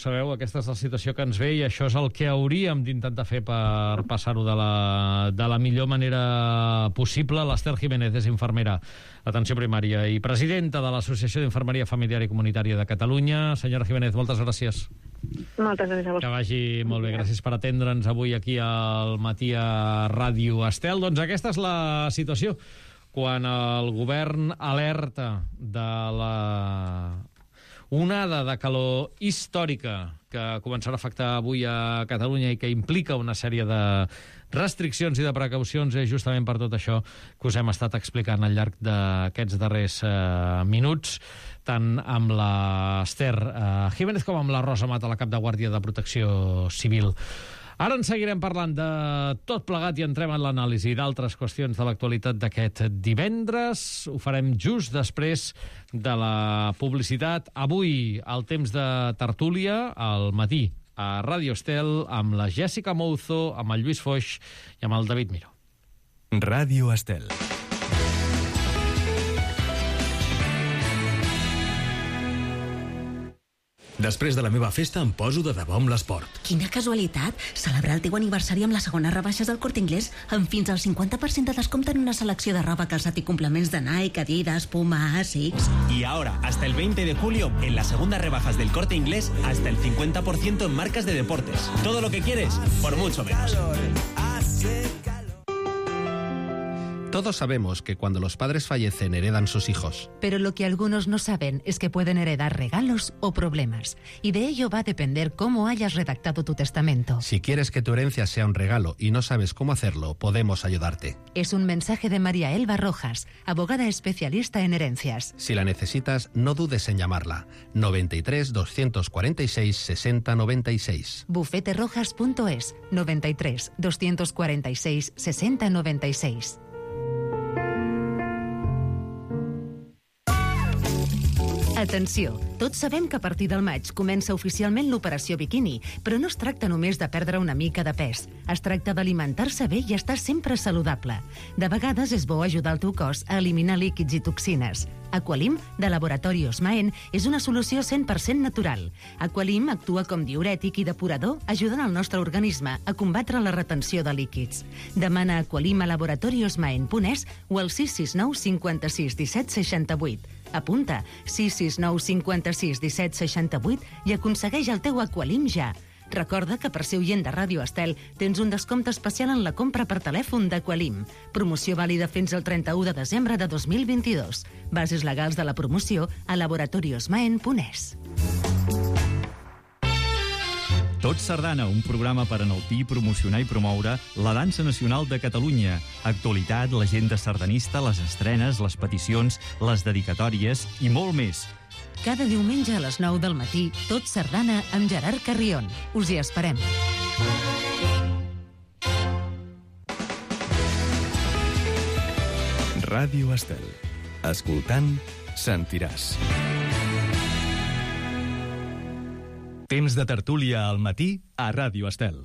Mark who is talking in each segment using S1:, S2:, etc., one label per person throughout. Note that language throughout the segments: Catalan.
S1: sabeu, aquesta és la situació que ens ve i això és el que hauríem d'intentar fer per passar-ho de la millor manera possible. L'Ester Jiménez és infermera d'atenció primària i presidenta de l'Associació d'Infermeria Familiar i Comunitària de Catalunya. Senyora Jiménez, moltes gràcies.
S2: Moltes gràcies a vosaltres.
S1: Que vagi molt bé. Gràcies per atendre'ns avui aquí al matí a Ràdio Estel. Doncs aquesta és la situació quan el govern alerta de la onada de calor històrica que començarà a afectar avui a Catalunya i que implica una sèrie de restriccions i de precaucions. És justament per tot això que us hem estat explicant al llarg d'aquests darrers minuts, tant amb l'Ester Jiménez com amb la Rosa Mata, la cap de Guàrdia de Protecció Civil. Ara en seguirem parlant de tot plegat i entrem en l'anàlisi d'altres qüestions de l'actualitat d'aquest divendres. Ho farem just després de la publicitat. Avui, al temps de tertúlia, al matí, a Ràdio Estel, amb la Jessica Mouzo, amb el Lluís Foix i amb el David Miró.
S3: Ràdio Estel. Després de la meva festa em poso de debò amb l'esport.
S4: Quina casualitat! Celebrar el teu aniversari amb les segones rebaixes del Corte Inglés amb fins al 50% de descompte en una selecció de roba, calçat i complements de Nike, Adidas, Puma, Asics...
S5: Y ahora, hasta el 20 de julio, en las segundas rebajas del Corte Inglés, hasta el 50% en marcas de deportes. Todo lo que quieres, por mucho menos.
S6: Todos sabemos que cuando los padres fallecen heredan sus hijos.
S7: Pero lo que algunos no saben es que pueden heredar regalos o problemas. Y de ello va a depender cómo hayas redactado tu testamento.
S6: Si quieres que tu herencia sea un regalo y no sabes cómo hacerlo, podemos ayudarte.
S7: Es un mensaje de María Elba Rojas, abogada especialista en herencias.
S6: Si la necesitas, no dudes en llamarla. 93 246 60 96.
S7: Bufeterojas.es 93 246 60 96. Atenció, tots sabem que a partir del maig comença oficialment l'operació biquini, però no es tracta només de perdre una mica de pes. Es tracta d'alimentar-se bé i estar sempre saludable. De vegades és bo ajudar el teu cos a eliminar líquids i toxines. Aqualim, de Laboratori Osmaen, és una solució 100% natural. Aqualim actua com diürètic i depurador, ajudant el nostre organisme a combatre la retenció de líquids. Demana Aqualim a laboratoriosmaen.es o al 669 56 17 68. Apunta 669 56 17 68 i aconsegueix el teu Aqualim ja. Recorda que per ser oient de Ràdio Estel tens un descompte especial en la compra per telèfon d'Aqualim. Promoció vàlida fins al 31 de desembre de 2022. Bases legals de la promoció a laboratoriosmaen.es.
S8: Tot Sardana, un programa per enaltir, promocionar i promoure la dansa nacional de Catalunya. Actualitat, l'agenda sardanista, les estrenes, les peticions, les dedicatòries i molt més.
S7: Cada diumenge a les 9 del matí, Tot Sardana amb Gerard Carrion. Us hi esperem.
S3: Ràdio Estel. Escoltant, sentiràs. Temps de tertúlia al matí a Ràdio Estel.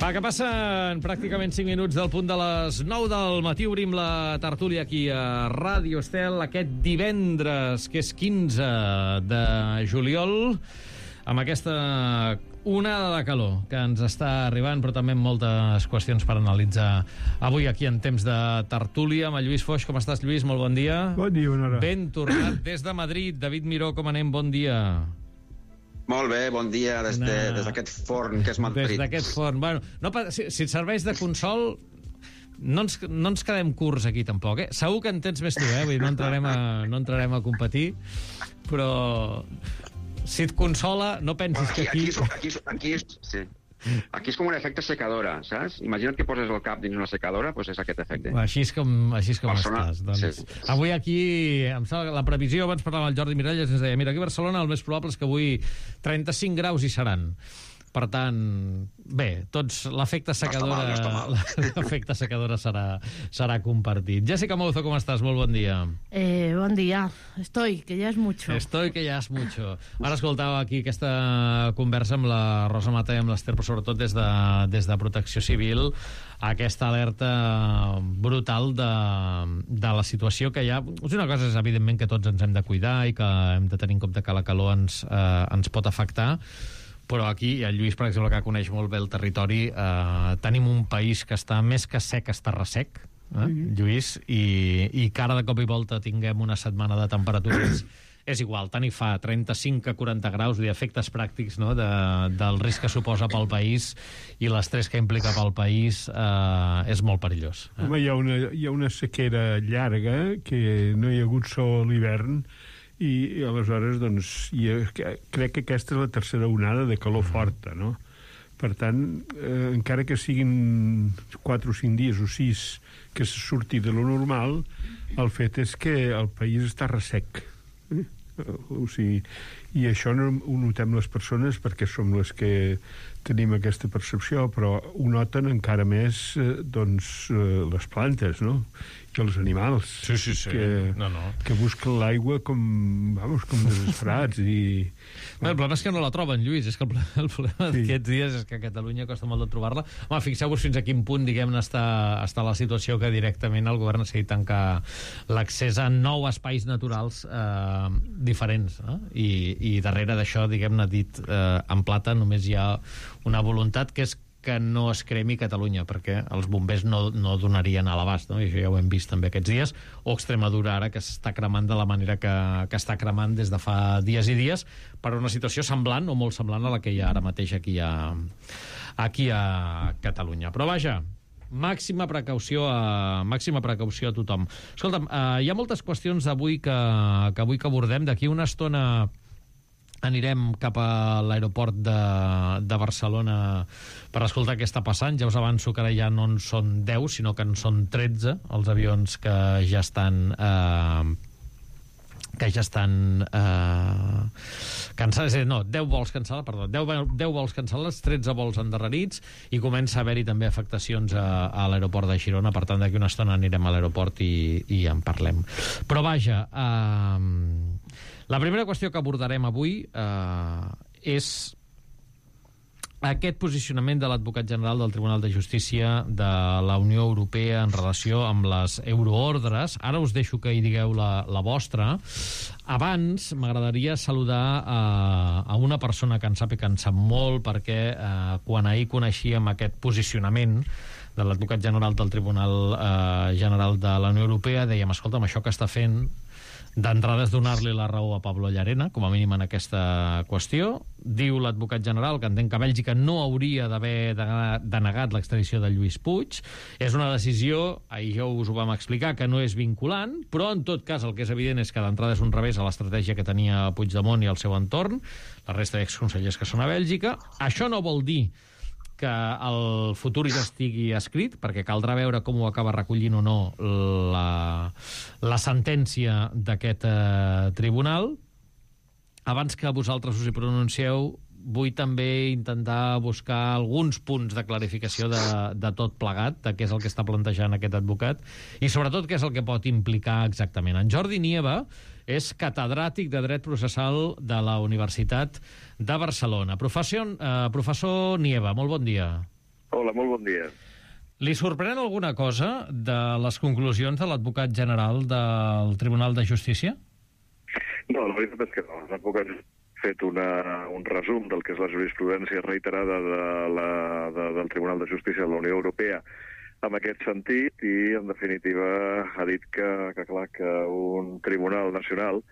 S1: Va, que passen pràcticament 5 minuts del punt de les 9 del matí. Obrim la tertúlia aquí a Ràdio Estel aquest divendres, que és 15 de juliol, amb aquesta onada de calor que ens està arribant, però també amb moltes qüestions per analitzar avui aquí en temps de tertúlia. Amb el Lluís Foix. Com estàs, Lluís? Molt bon dia.
S9: Bon dia, bona hora.
S1: Ben tornat des de Madrid. David Miró, com anem? Bon dia.
S10: Molt bé, bon dia des d'aquest forn que és Madrid.
S1: Des d'aquest forn. Bueno, no, si et serveix de consol, no ens quedem curts aquí, tampoc, eh? Segur que en tens més tu, eh? Vull dir, no entrarem a competir, però si et consola, no pensis que
S10: Aquí és com un efecte secadora, saps? Imagina't que poses el cap dins una secadora, doncs és aquest efecte.
S1: Així és com estàs. Doncs. Sí. Avui aquí, em sembla que la previsió, abans parlàvem amb el Jordi Miralles, ens deia, mira, aquí a Barcelona el més probable és que avui 35 graus hi seran. Per tant, bé, tots l'efecte secadora serà compartit. Jessica Mouzo, com estàs? Molt bon dia.
S2: Bon dia. Estoy, que ya es mucho.
S1: Ara escoltava aquí aquesta conversa amb la Rosa Mata i amb l'Ester, però sobretot des de Protecció Civil, aquesta alerta brutal de la situació que hi ha. Una cosa és, evidentment, que tots ens hem de cuidar i que hem de tenir en compte que la calor ens pot afectar, però aquí, el Lluís, per exemple, que coneix molt bé el territori, tenim un país que està més que sec, està ressec, Lluís, i que ara de cop i volta tinguem una setmana de temperatures, és igual, tant hi fa 35 a 40 graus, vull dir, efectes pràctics, no?, del risc que suposa pel país i l'estrès que implica pel país, és molt perillós.
S9: Home, hi ha una sequera llarga, que no hi ha hagut sol a l'hivern, i aleshores, doncs, crec que aquesta és la tercera onada de calor forta, no? Per tant, encara que siguin 4 o 5 dies o 6 que se surti de lo normal, el fet és que el país està ressec. O sigui, i això no ho notem les persones perquè som les que tenim aquesta percepció, però ho noten encara més les plantes, no? I els animals.
S1: Sí.
S9: Que busquen l'aigua com desesperats.
S1: El problema és que no la troben, Lluís. És que el problema d'aquests dies és que a Catalunya costa molt de trobar-la. Home, fixeu-vos fins a quin punt, diguem-ne, està la situació que directament el govern ha decidit tancar l'accés a 9 espais naturals diferents. I darrere d'això, diguem-ne, dit en plata, només hi ha una voluntat que és que no es cremi Catalunya, perquè els bombers no donarien a l'abast, no? I això ja ho hem vist també aquests dies, o Extremadura ara, que s'està cremant de la manera que està cremant des de fa dies i dies, per una situació semblant o molt semblant a la que hi ha ara mateix aquí a Catalunya. Però vaja, màxima precaució a tothom. Escolta'm, hi ha moltes qüestions avui que abordem. D'aquí una estona anirem cap a l'aeroport de Barcelona per escoltar què està passant. Ja us avanço que ara ja no en són 10, sinó que en són 13 els avions que ja estan cancel·lats, 10 vols cancel·lats, perdó, 10 vols cancel·lats, 13 vols endarrerits, i comença a haver-hi també afectacions a l'aeroport de Girona. Per tant, d'aquí una estona anirem a l'aeroport i en parlem. Però vaja, la primera qüestió que abordarem avui és aquest posicionament de l'advocat general del Tribunal de Justícia de la Unió Europea en relació amb les euroordres. Ara us deixo que hi digueu la vostra. Abans m'agradaria saludar a una persona que en sap i que en sap molt, perquè quan ahir coneixíem aquest posicionament de l'advocat general del Tribunal General de la Unió Europea, dèiem, escolta'm, això que està fent d'entrada és donar-li la raó a Pablo Llarena, com a mínim en aquesta qüestió. Diu l'advocat general que entenc que Bèlgica no hauria d'haver denegat l'extradició de Lluís Puig. És una decisió, ahir ja us ho vam explicar, que no és vinculant, però en tot cas el que és evident és que d'entrada és un revés a l'estratègia que tenia Puigdemont i el seu entorn, la resta d'exconsellers que són a Bèlgica. Això no vol dir que el futur ja estigui escrit, perquè caldrà veure com ho acaba recollint o no la sentència d'aquest tribunal. Abans que vosaltres us hi pronuncieu, vull també intentar buscar alguns punts de clarificació de tot plegat, de què és el que està plantejant aquest advocat, i sobretot què és el que pot implicar exactament. En Jordi Nieva és catedràtic de Dret Processal de la Universitat de Barcelona. Professor Nieva, molt bon dia.
S11: Hola, molt bon dia.
S1: Li sorprèn alguna cosa de les conclusions de l'advocat general del Tribunal de Justícia?
S11: No, la veritat és que no. L'advocat ha fet un resum del que és la jurisprudència reiterada del Tribunal de Justícia de la Unió Europea en aquest sentit, i en definitiva ha dit que clar, que un tribunal nacional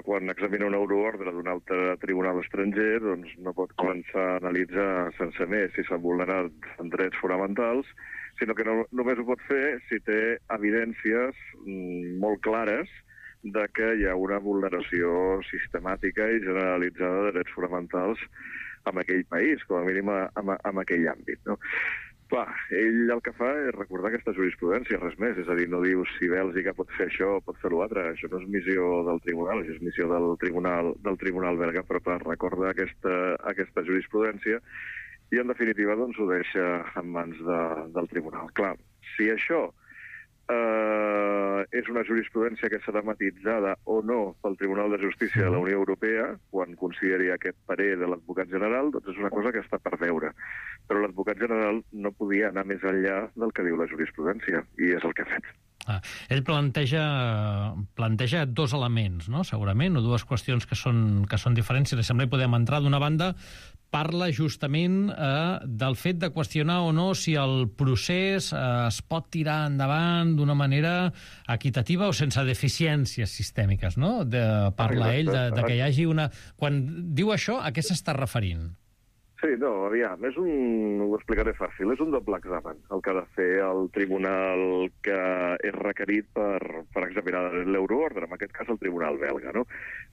S11: quan examina una euroordre d'un altre tribunal estranger doncs no pot començar a analitzar sense més si s'han vulnerat drets fonamentals, sinó que només ho pot fer si té evidències molt clares de que hi ha una vulneració sistemàtica i generalitzada de drets fonamentals en aquell país, com a mínim en aquell àmbit, no? Clar, ell el que fa és recordar aquesta jurisprudència, res més. És a dir, no diu si Bèlgica pot fer això o pot fer l'altre. Això no és missió del tribunal, això és missió del tribunal belga, però clar, recorda aquesta jurisprudència i, en definitiva, doncs, ho deixa en mans del tribunal. Clar, si això és una jurisprudència que serà matitzada o no pel Tribunal de Justícia de la Unió Europea, quan consideri aquest parer de l'advocat general, doncs és una cosa que està per veure. Però l'advocat general no podia anar més enllà del que diu la jurisprudència, i és el que ha fet.
S1: Ell planteja dos elements, no? Segurament, o dues qüestions que són diferents. Si li sembla, hi podem entrar. D'una banda, parla justament del fet de qüestionar o no si el procés es pot tirar endavant d'una manera equitativa o sense deficiències sistèmiques, no? Parla ell de que hi hagi una... Quan diu això, a què s'està referint?
S11: Sí, no, aviam, ho explicaré fàcil. És un doble examen el que ha de fer el tribunal que és requerit per examinar l'euroordre, en aquest cas el tribunal belga, no?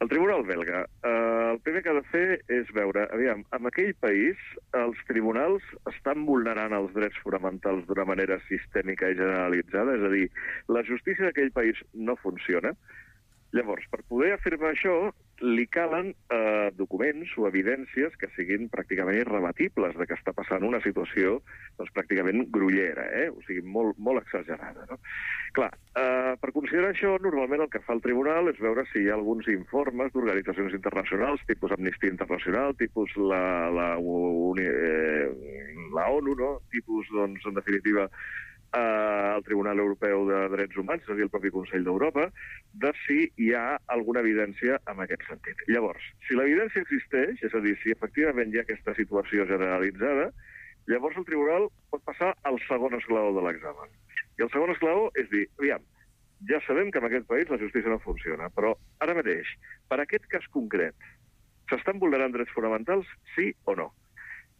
S11: El tribunal belga, el primer que ha de fer és veure, aviam, en aquell país els tribunals estan vulnerant els drets fonamentals d'una manera sistèmica i generalitzada, és a dir, la justícia d'aquell país no funciona. Llavors, per poder afirmar això, li calen documents o evidències que siguin pràcticament irrebatibles de que està passant una situació doncs, pràcticament grollera, o sigui, molt, molt exagerada. No? Clar, per considerar això, normalment el que fa el tribunal és veure si hi ha alguns informes d'organitzacions internacionals, tipus Amnistia Internacional, tipus la ONU, no? Tipus, doncs, en definitiva, el Tribunal Europeu de Drets Humans, és a dir, el propi Consell d'Europa, de si hi ha alguna evidència en aquest sentit. Llavors, si l'evidència existeix, és a dir, si efectivament hi ha aquesta situació generalitzada, llavors el tribunal pot passar al segon esglaó de l'examen. I el segon esglaó és dir, aviam, ja sabem que en aquest país la justícia no funciona, però ara mateix, per aquest cas concret, s'estan vulnerant drets fonamentals, sí o no?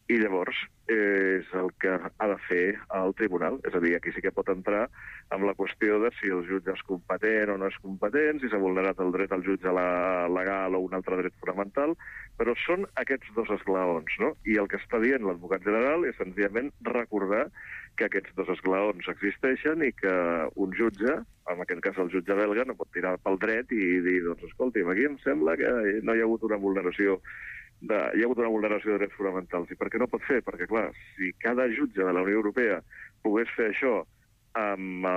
S11: I llavors és el que ha de fer el tribunal. És a dir, aquí sí que pot entrar amb la qüestió de si el jutge és competent o no és competent, si s'ha vulnerat el dret al jutge legal o un altre dret fonamental, però són aquests dos esglaons, no? I el que està dient l'advocat general és senzillament recordar que aquests dos esglaons existeixen i que un jutge, en aquest cas el jutge belga, no pot tirar pel dret i dir, doncs, escolti'm, aquí em sembla que no hi ha hagut una vulneració hi ha hagut una vulneració de drets fonamentals. I per què no pot fer? Perquè, clar, si cada jutge de la Unió Europea pogués fer això amb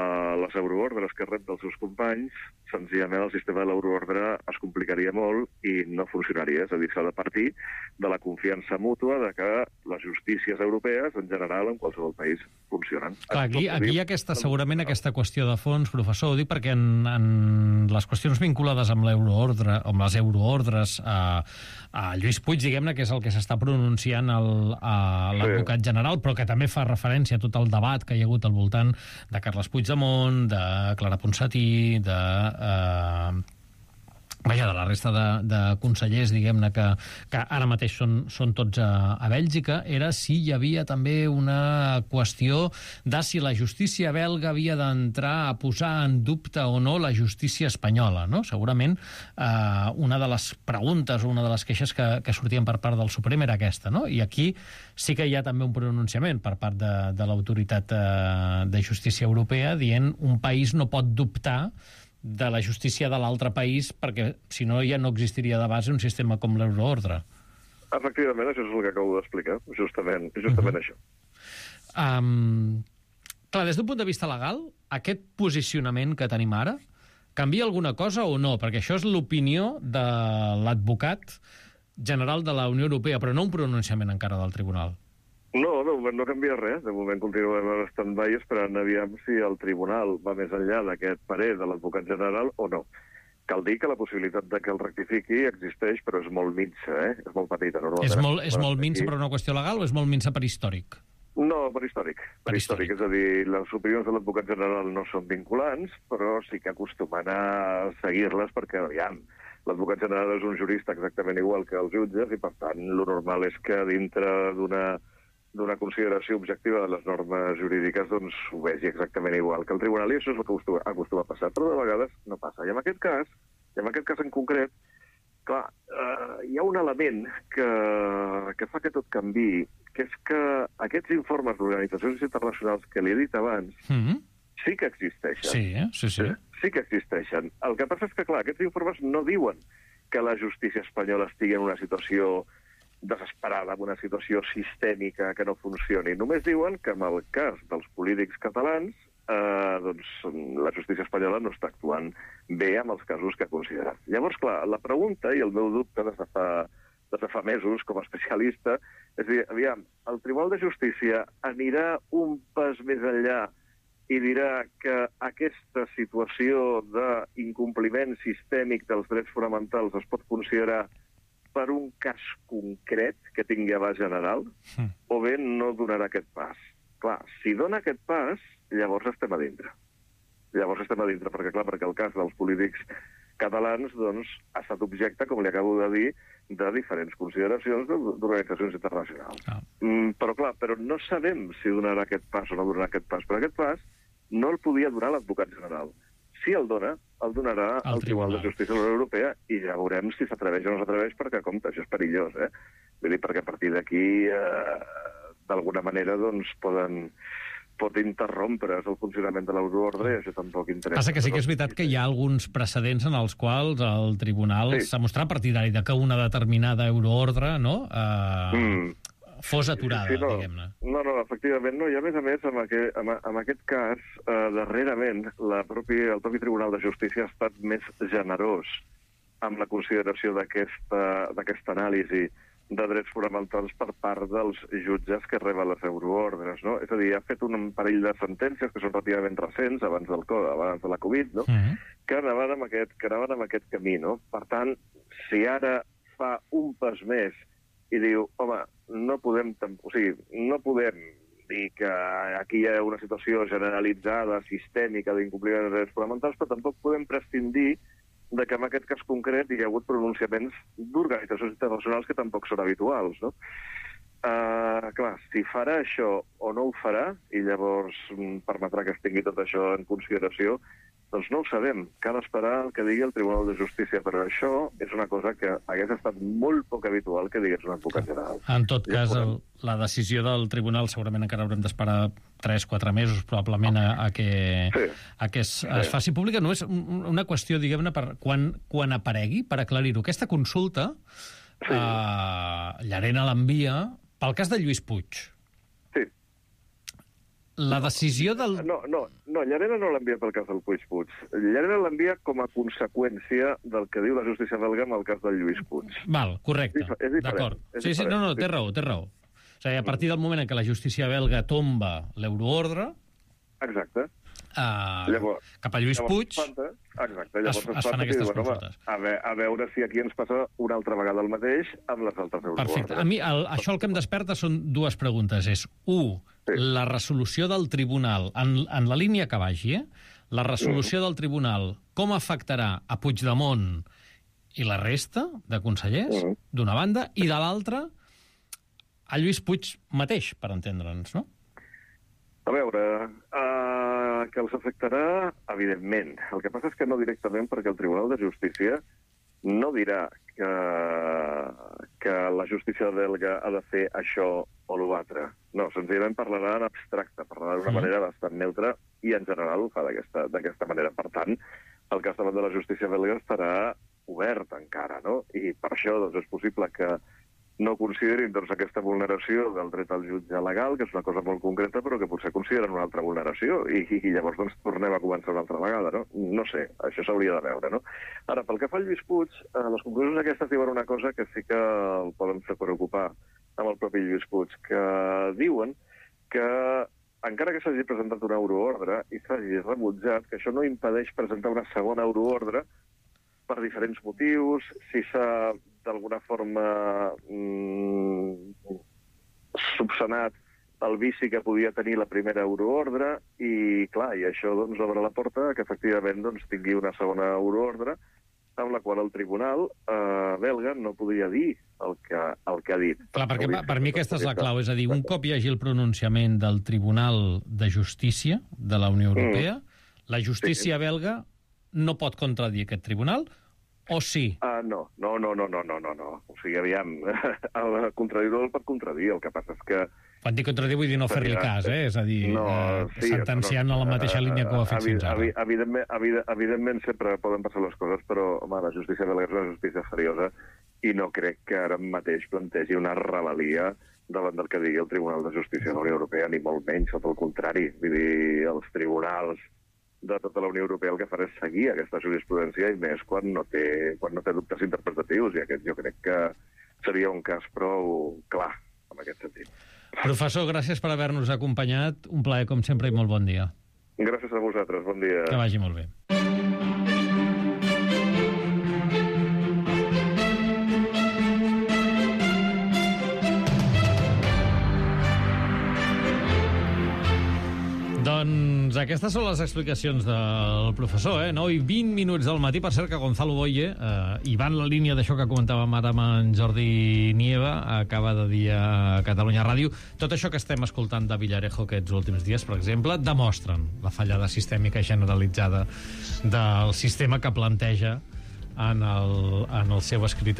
S11: les euroordres que rep dels seus companys, senzillament el sistema de l'euroordre es complicaria molt i no funcionaria. És a dir, s'ha de partir de la confiança mútua de que les justícies europees, en general, en qualsevol país, funcionen.
S1: Clar, aquí hi ha segurament aquesta qüestió de fons, professor, ho dic perquè en les qüestions vinculades amb l'euroordre, amb les euroordres, a Lluís Puig, diguem-ne, que és el que s'està pronunciant l'advocat general, però que també fa referència a tot el debat que hi ha hagut al voltant de Carles Puigdemont, de Clara Ponsatí, de la resta de consellers, diguem-ne, que ara mateix són tots a Bèlgica, era si hi havia també una qüestió de si la justícia belga havia d'entrar a posar en dubte o no la justícia espanyola, no? Segurament una de les preguntes o una de les queixes que sortien per part del Suprem era aquesta, no? I aquí sí que hi ha també un pronunciament per part de l'autoritat de justícia europea dient un país no pot dubtar de la justícia de l'altre país, perquè si no ja no existiria de base un sistema com l'euroordre.
S11: Efectivament, això és el que acabo d'explicar, justament això.
S1: Clar, des d'un punt de vista legal, aquest posicionament que tenim ara canvia alguna cosa o no? Perquè això és l'opinió de l'advocat general de la Unió Europea, però no un pronunciament encara del tribunal.
S11: No, de moment no canvia res. De moment continuem en stand-by esperant aviam si el tribunal va més enllà d'aquest parer de l'advocat general o no. Cal dir que la possibilitat de que el rectifiqui existeix, però és molt minsa, És molt petita.
S1: És molt minsa per una qüestió legal o és molt minsa per històric?
S11: No, per històric. Per històric, és a dir, les opinions de l'advocat general no són vinculants, però sí que acostumen a seguir-les perquè, aviam, l'advocat general és un jurista exactament igual que els jutges i, per tant, lo normal és que dintre d'una d'una consideració objectiva de les normes jurídiques, doncs ho vegi exactament igual que el tribunal, i això és el que acostuma a passar, però de vegades no passa. I en aquest cas en concret, clar, hi ha un element que fa que tot canviï, que és que aquests informes d'organitzacions internacionals que li he dit abans sí que existeixen. Sí que existeixen. El que passa és que, clar, aquests informes no diuen que la justícia espanyola estigui en una situació desesperada, en una situació sistèmica que no funcioni. Només diuen que en el cas dels polítics catalans doncs la justícia espanyola no està actuant bé amb els casos que ha considerat. Llavors, clar, la pregunta i el meu dubte des de fa mesos com a especialista és dir, aviam, el Tribunal de Justícia anirà un pas més enllà i dirà que aquesta situació d'incompliment sistèmic dels drets fonamentals es pot considerar per un cas concret que tingui abast general, o bé no donarà aquest pas. Clar, si dona aquest pas, llavors estem a dintre. Perquè el cas dels polítics catalans doncs, ha estat objecte, com li acabo de dir, de diferents consideracions d'organitzacions internacionals. Però no sabem si donarà aquest pas o no donarà aquest pas. Però aquest pas no el podia donar l'advocat general. Si el dona, el donarà al Tribunal de Justícia de la Unió Europea i ja veurem si s'atreveix o no s'atreveix, perquè, compte, això és perillós, Vull dir, perquè a partir d'aquí, d'alguna manera, doncs, pot interrompre's el funcionament de l'euroordre i això tampoc interessa.
S1: Passa que sí que és veritat que hi ha alguns precedents en els quals el tribunal s'ha mostrat partidari de que una determinada euroordre fos aturada, diguem-ne.
S11: No, efectivament no. I a més, en aquest cas, darrerament, el propi Tribunal de Justícia ha estat més generós amb la consideració d'aquesta anàlisi de drets fonamentals per part dels jutges que reben les euroordres, no? És a dir, ha fet un parell de sentències que són relativament recents, abans de la Covid, no? Que anaven amb aquest camí, no? Per tant, si ara fa un pas més i diu, home, no podem dir que aquí hi ha una situació generalitzada, sistèmica, d'incompliment de drets fonamentals, però tampoc podem prescindir de que en aquest cas concret hi ha hagut pronunciaments d'organitzacions internacionals que tampoc són habituals, no? Clar, si farà això o no ho farà, i llavors permetrà que es tingui tot això en consideració, doncs no ho sabem. Cal esperar el que digui el Tribunal de Justícia, però això és una cosa que hagués estat molt poc habitual que digués un advocat general.
S1: En tot cas, la decisió del Tribunal segurament encara haurem d'esperar 3-4 mesos, probablement, a que es faci pública. No és una qüestió, diguem-ne, per quan aparegui, per aclarir-ho. Aquesta consulta, Llarena l'envia pel cas de Lluís Puig. La decisió del...
S11: No, Llarena no l'envia pel cas del Puig. Llarena l'envia com a conseqüència del que diu la justícia belga amb el cas del Lluís Puig.
S1: Val, correcte. D'acord. Sí, no, té raó. O sigui, a partir del moment en què la justícia belga tomba l'euroordre...
S11: Exacte.
S1: Cap a Lluís Puig...
S11: Exacte, llavors
S1: es fan aquestes consultes.
S11: A veure si aquí ens passa una altra vegada el mateix amb les altres euroordres.
S1: Perfecte. A mi això el que em desperta són dues preguntes. És, la resolució del tribunal, en la línia que vagi, la resolució del tribunal, com afectarà a Puigdemont i la resta de consellers, d'una banda, i de l'altra, a Lluís Puig mateix, per entendre'ns, no?
S11: A veure, que els afectarà, evidentment. El que passa és que no directament, perquè el Tribunal de Justícia no dirà que la justícia belga ha de fer això o l'altre. No, senzillament parlarà en abstracte, parlarà d'una manera bastant neutra i en general ho fa d'aquesta manera. Per tant, el cas davant de la justícia belga estarà obert encara, no? I per això doncs, és possible que no considerin aquesta vulneració del dret al jutge legal, que és una cosa molt concreta, però que potser consideren una altra vulneració, i llavors tornem a començar una altra vegada, no? No sé, això s'hauria de veure, no? Ara, pel que fa al Lluís Puig, les conclusions aquestes diuen una cosa que sí que el poden fer preocupar amb el propi Lluís Puig, que diuen que encara que s'hagi presentat una euroordre i s'hagi rebutjat, que això no impedeix presentar una segona euroordre per diferents motius, si s'ha d'alguna forma subsanat el vici que podia tenir la primera euroordre, i clar, i això doncs obre la porta que efectivament tingui una segona euroordre amb la qual el tribunal belga no podria dir el que ha dit.
S1: Clar, perquè per mi aquesta és la clau, és a dir, un cop hi hagi el pronunciament del Tribunal de Justícia de la Unió Europea, la justícia belga no pot contradir aquest tribunal, o sí?
S11: No. O sigui, aviam, contradir-ho per contradir, el que passa és que...
S1: Quan dic contradir vull dir no fer-li cas, és a dir, sentenciant a la mateixa línia que ho ha fet fins ara.
S11: Evidentment sempre poden passar les coses, però home, la justícia belga és una justícia seriosa i no crec que ara mateix plantegi una rebel·lia davant del que digui el Tribunal de Justícia de la Unió Europea, ni molt menys, tot el contrari. Vull dir, els tribunals de tota la Unió Europea el que farà és seguir aquesta jurisprudència, i més quan no té dubtes interpretatius, i aquest jo crec que seria un cas prou clar en aquest sentit.
S1: Professor, gràcies per haver-nos acompanyat. Un plaer, com sempre, i molt bon dia.
S11: Gràcies a vosaltres. Bon dia.
S1: Que vagi molt bé. Doncs aquestes són les explicacions del professor, 9 i 20 minuts del matí. Per cert que Gonzalo Boye, i va en la línia d'això que comentàvem ara amb en Jordi Nieva, acaba de dir a Catalunya Ràdio, tot això que estem escoltant de Villarejo aquests últims dies, per exemple, demostren la fallada sistèmica generalitzada del sistema que planteja en el seu escrit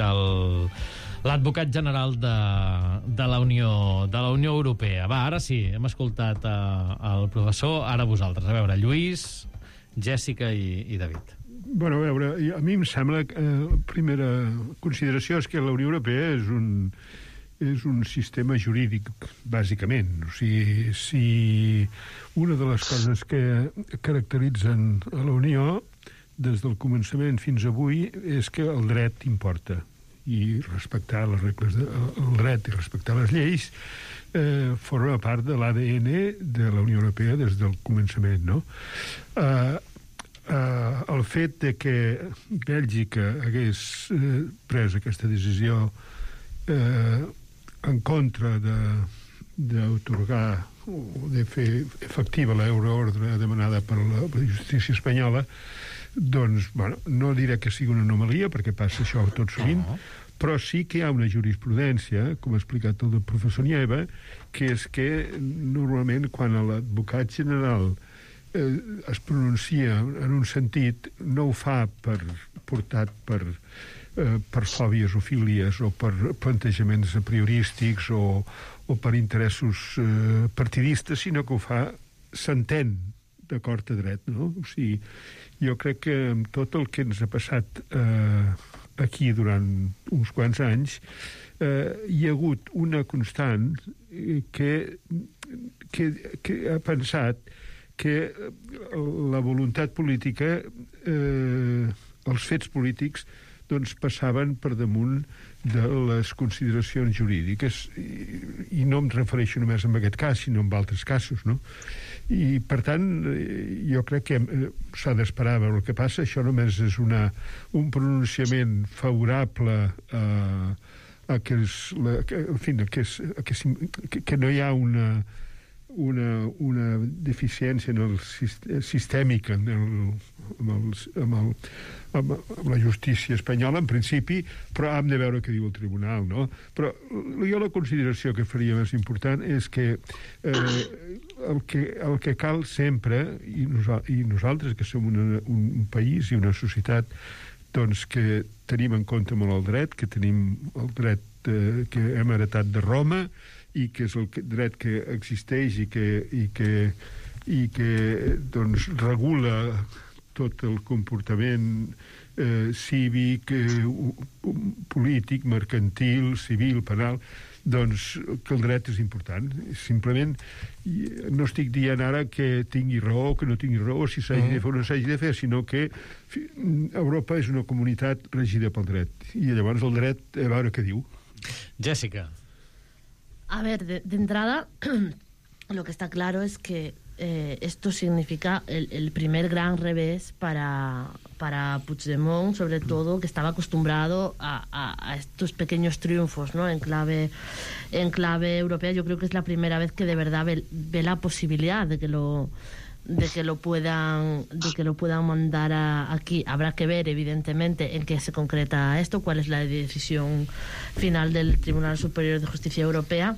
S1: l'advocat general de la Unió Europea. Va, ara sí, hem escoltat el professor, ara vosaltres. A veure, Lluís, Jèssica i David.
S9: Bueno, a veure, a mi em sembla que la primera consideració és que la Unió Europea és un sistema jurídic, bàsicament. O sigui, si una de les coses que caracteritzen a la Unió des del començament fins avui és que el dret importa, i respectar les regles del dret i respectar les lleis forma part de l'ADN de la Unió Europea des del començament, no? El fet de que Bèlgica hagués pres aquesta decisió en contra d'autorgar o de fer efectiva l'euroordre demanada per la justícia espanyola, doncs, bueno, no diré que sigui una anomalia, perquè passa això tot sovint, però sí que hi ha una jurisprudència, com ha explicat el professor Nieva, que és que normalment quan l'advocat general es pronuncia en un sentit, no ho fa portat per fòbies o fílies o per plantejaments apriorístics o per interessos partidistes, sinó que ho fa s'entén d'acord a dret, no? O sigui, jo crec que amb tot el que ens ha passat aquí durant uns quants anys hi ha hagut una constant que ha pensat que la voluntat política, els fets polítics, doncs passaven per damunt de les consideracions jurídiques, i no em refereixo només a aquest cas, sinó a altres casos, no? I, per tant, jo crec que s'ha d'esperar a veure el que passa. Això només és un pronunciament favorable a que no hi ha una deficiència sistèmica amb la justícia espanyola, en principi, però hem de veure què diu el tribunal, no? Però jo la consideració que faria més important és que el que cal sempre, i nosaltres que som un país i una societat doncs que tenim en compte molt el dret, que tenim el dret que hem heretat de Roma, i que és el dret que existeix i que doncs regula tot el comportament cívic, polític, mercantil, civil, penal, doncs que el dret és important. Simplement no estic dient ara que tingui raó, que no tingui raó, si s'hagi de fer o no s'hagi de fer, sinó que Europa és una comunitat regida pel dret. I llavors el dret, a veure què diu.
S1: Jèssica.
S2: A ver, de entrada, lo que está claro es que esto significa el primer gran revés para Puigdemont, sobre todo, que estaba acostumbrado a estos pequeños triunfos, ¿no? En clave europea. Yo creo que es la primera vez que de verdad ve la posibilidad de de que lo puedan mandar aquí. Habrá que ver, evidentemente, en qué se concreta esto, cuál es la decisión final del Tribunal Superior de Justicia Europea.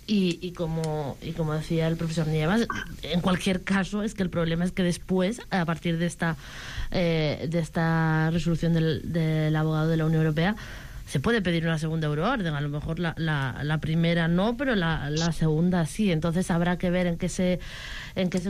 S2: Y como decía el profesor Nievas, en cualquier caso, es que el problema es que después, a partir de esta resolución del abogado de la Unión Europea, se puede pedir una segunda euroorden. A lo mejor la primera no, pero la segunda sí. Entonces habrá que ver en qué se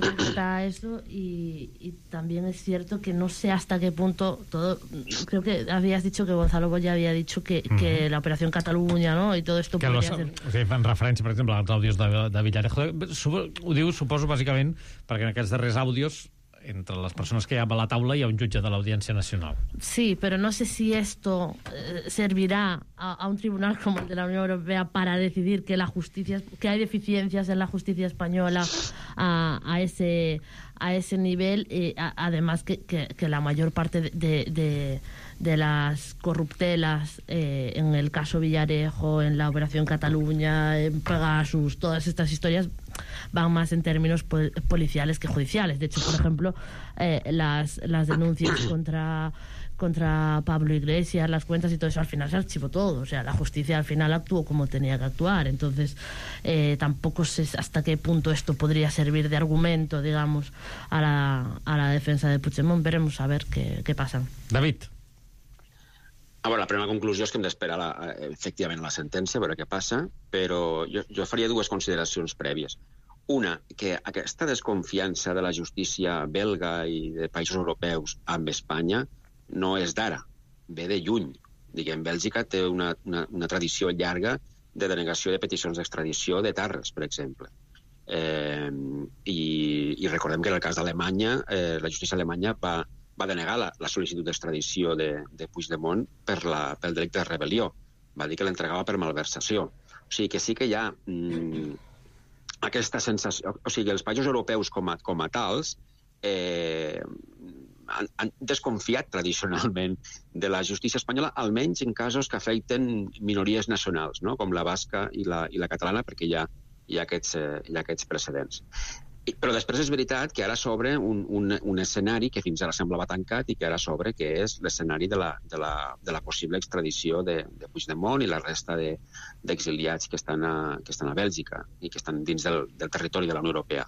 S2: concreta eso, y también es cierto que no sé hasta qué punto todo. Creo que habías dicho que Gonzalo Boya havia dicho que la Operació Catalunya, no?, i tot esto
S1: que
S2: podria ser...
S1: O sigui, fan referència, per exemple, als àudios de Villarejo. Ho diu, suposo, bàsicament, perquè en aquests darrers àudios, entre las personas que hay a la taula, y a un jutge de la Audiencia Nacional.
S2: Sí, pero no sé si esto servirá a un tribunal como el de la Unión Europea para decidir que que hay deficiencias en la justicia española a ese nivel. Además que la mayor parte de las corruptelas, en el caso Villarejo, en la Operación Cataluña, en Pegasus, todas estas historias van más en términos policiales que judiciales. De hecho, por ejemplo, las denuncias contra Pablo Iglesias, las cuentas y todo eso, al final se archivó todo. O sea, la justicia al final actuó como tenía que actuar. Entonces, tampoco sé hasta qué punto esto podría servir de argumento, digamos, a la defensa de Puigdemont. Veremos a ver qué pasa.
S1: David.
S12: Bueno, la primera conclusió és que hem d'esperar efectivament la sentència, a veure què passa, però jo faria dues consideracions prèvies. Una, que aquesta desconfiança de la justícia belga i de països europeus amb Espanya no és d'ara, ve de lluny. Diguem, Bèlgica té una tradició llarga de denegació de peticions d'extradició d'etarres, per exemple. I recordem que en el cas d'Alemanya, la justícia alemanya va denegar la sol·licitud d'extradició de Puigdemont pel delicte de rebel·lió. Va dir que l'entregava per malversació. O sigui que sí que hi ha aquesta sensació... O sigui, els països europeus com a tals han desconfiat tradicionalment de la justícia espanyola, almenys en casos que afecten minories nacionals, no?, com la basca i la catalana, perquè hi ha aquests precedents. Però després és veritat que ara s'obre un escenari que fins ara semblava tancat i que ara s'obre, que és l'escenari de la possible extradició de Puigdemont i la resta d'exiliats que estan a Bèlgica i que estan dins del territori de la Unió Europea.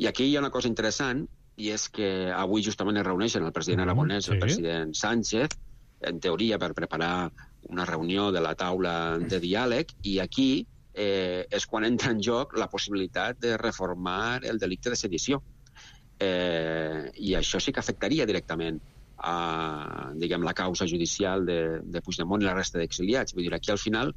S12: I aquí hi ha una cosa interessant, i és que avui justament es reuneixen el president Aragonès i el president Sánchez, en teoria per preparar una reunió de la taula de diàleg, i aquí és quan entra en joc la possibilitat de reformar el delicte de sedició. I això sí que afectaria directament diguem, la causa judicial de Puigdemont i la resta d'exiliats. Vull dir, aquí al final,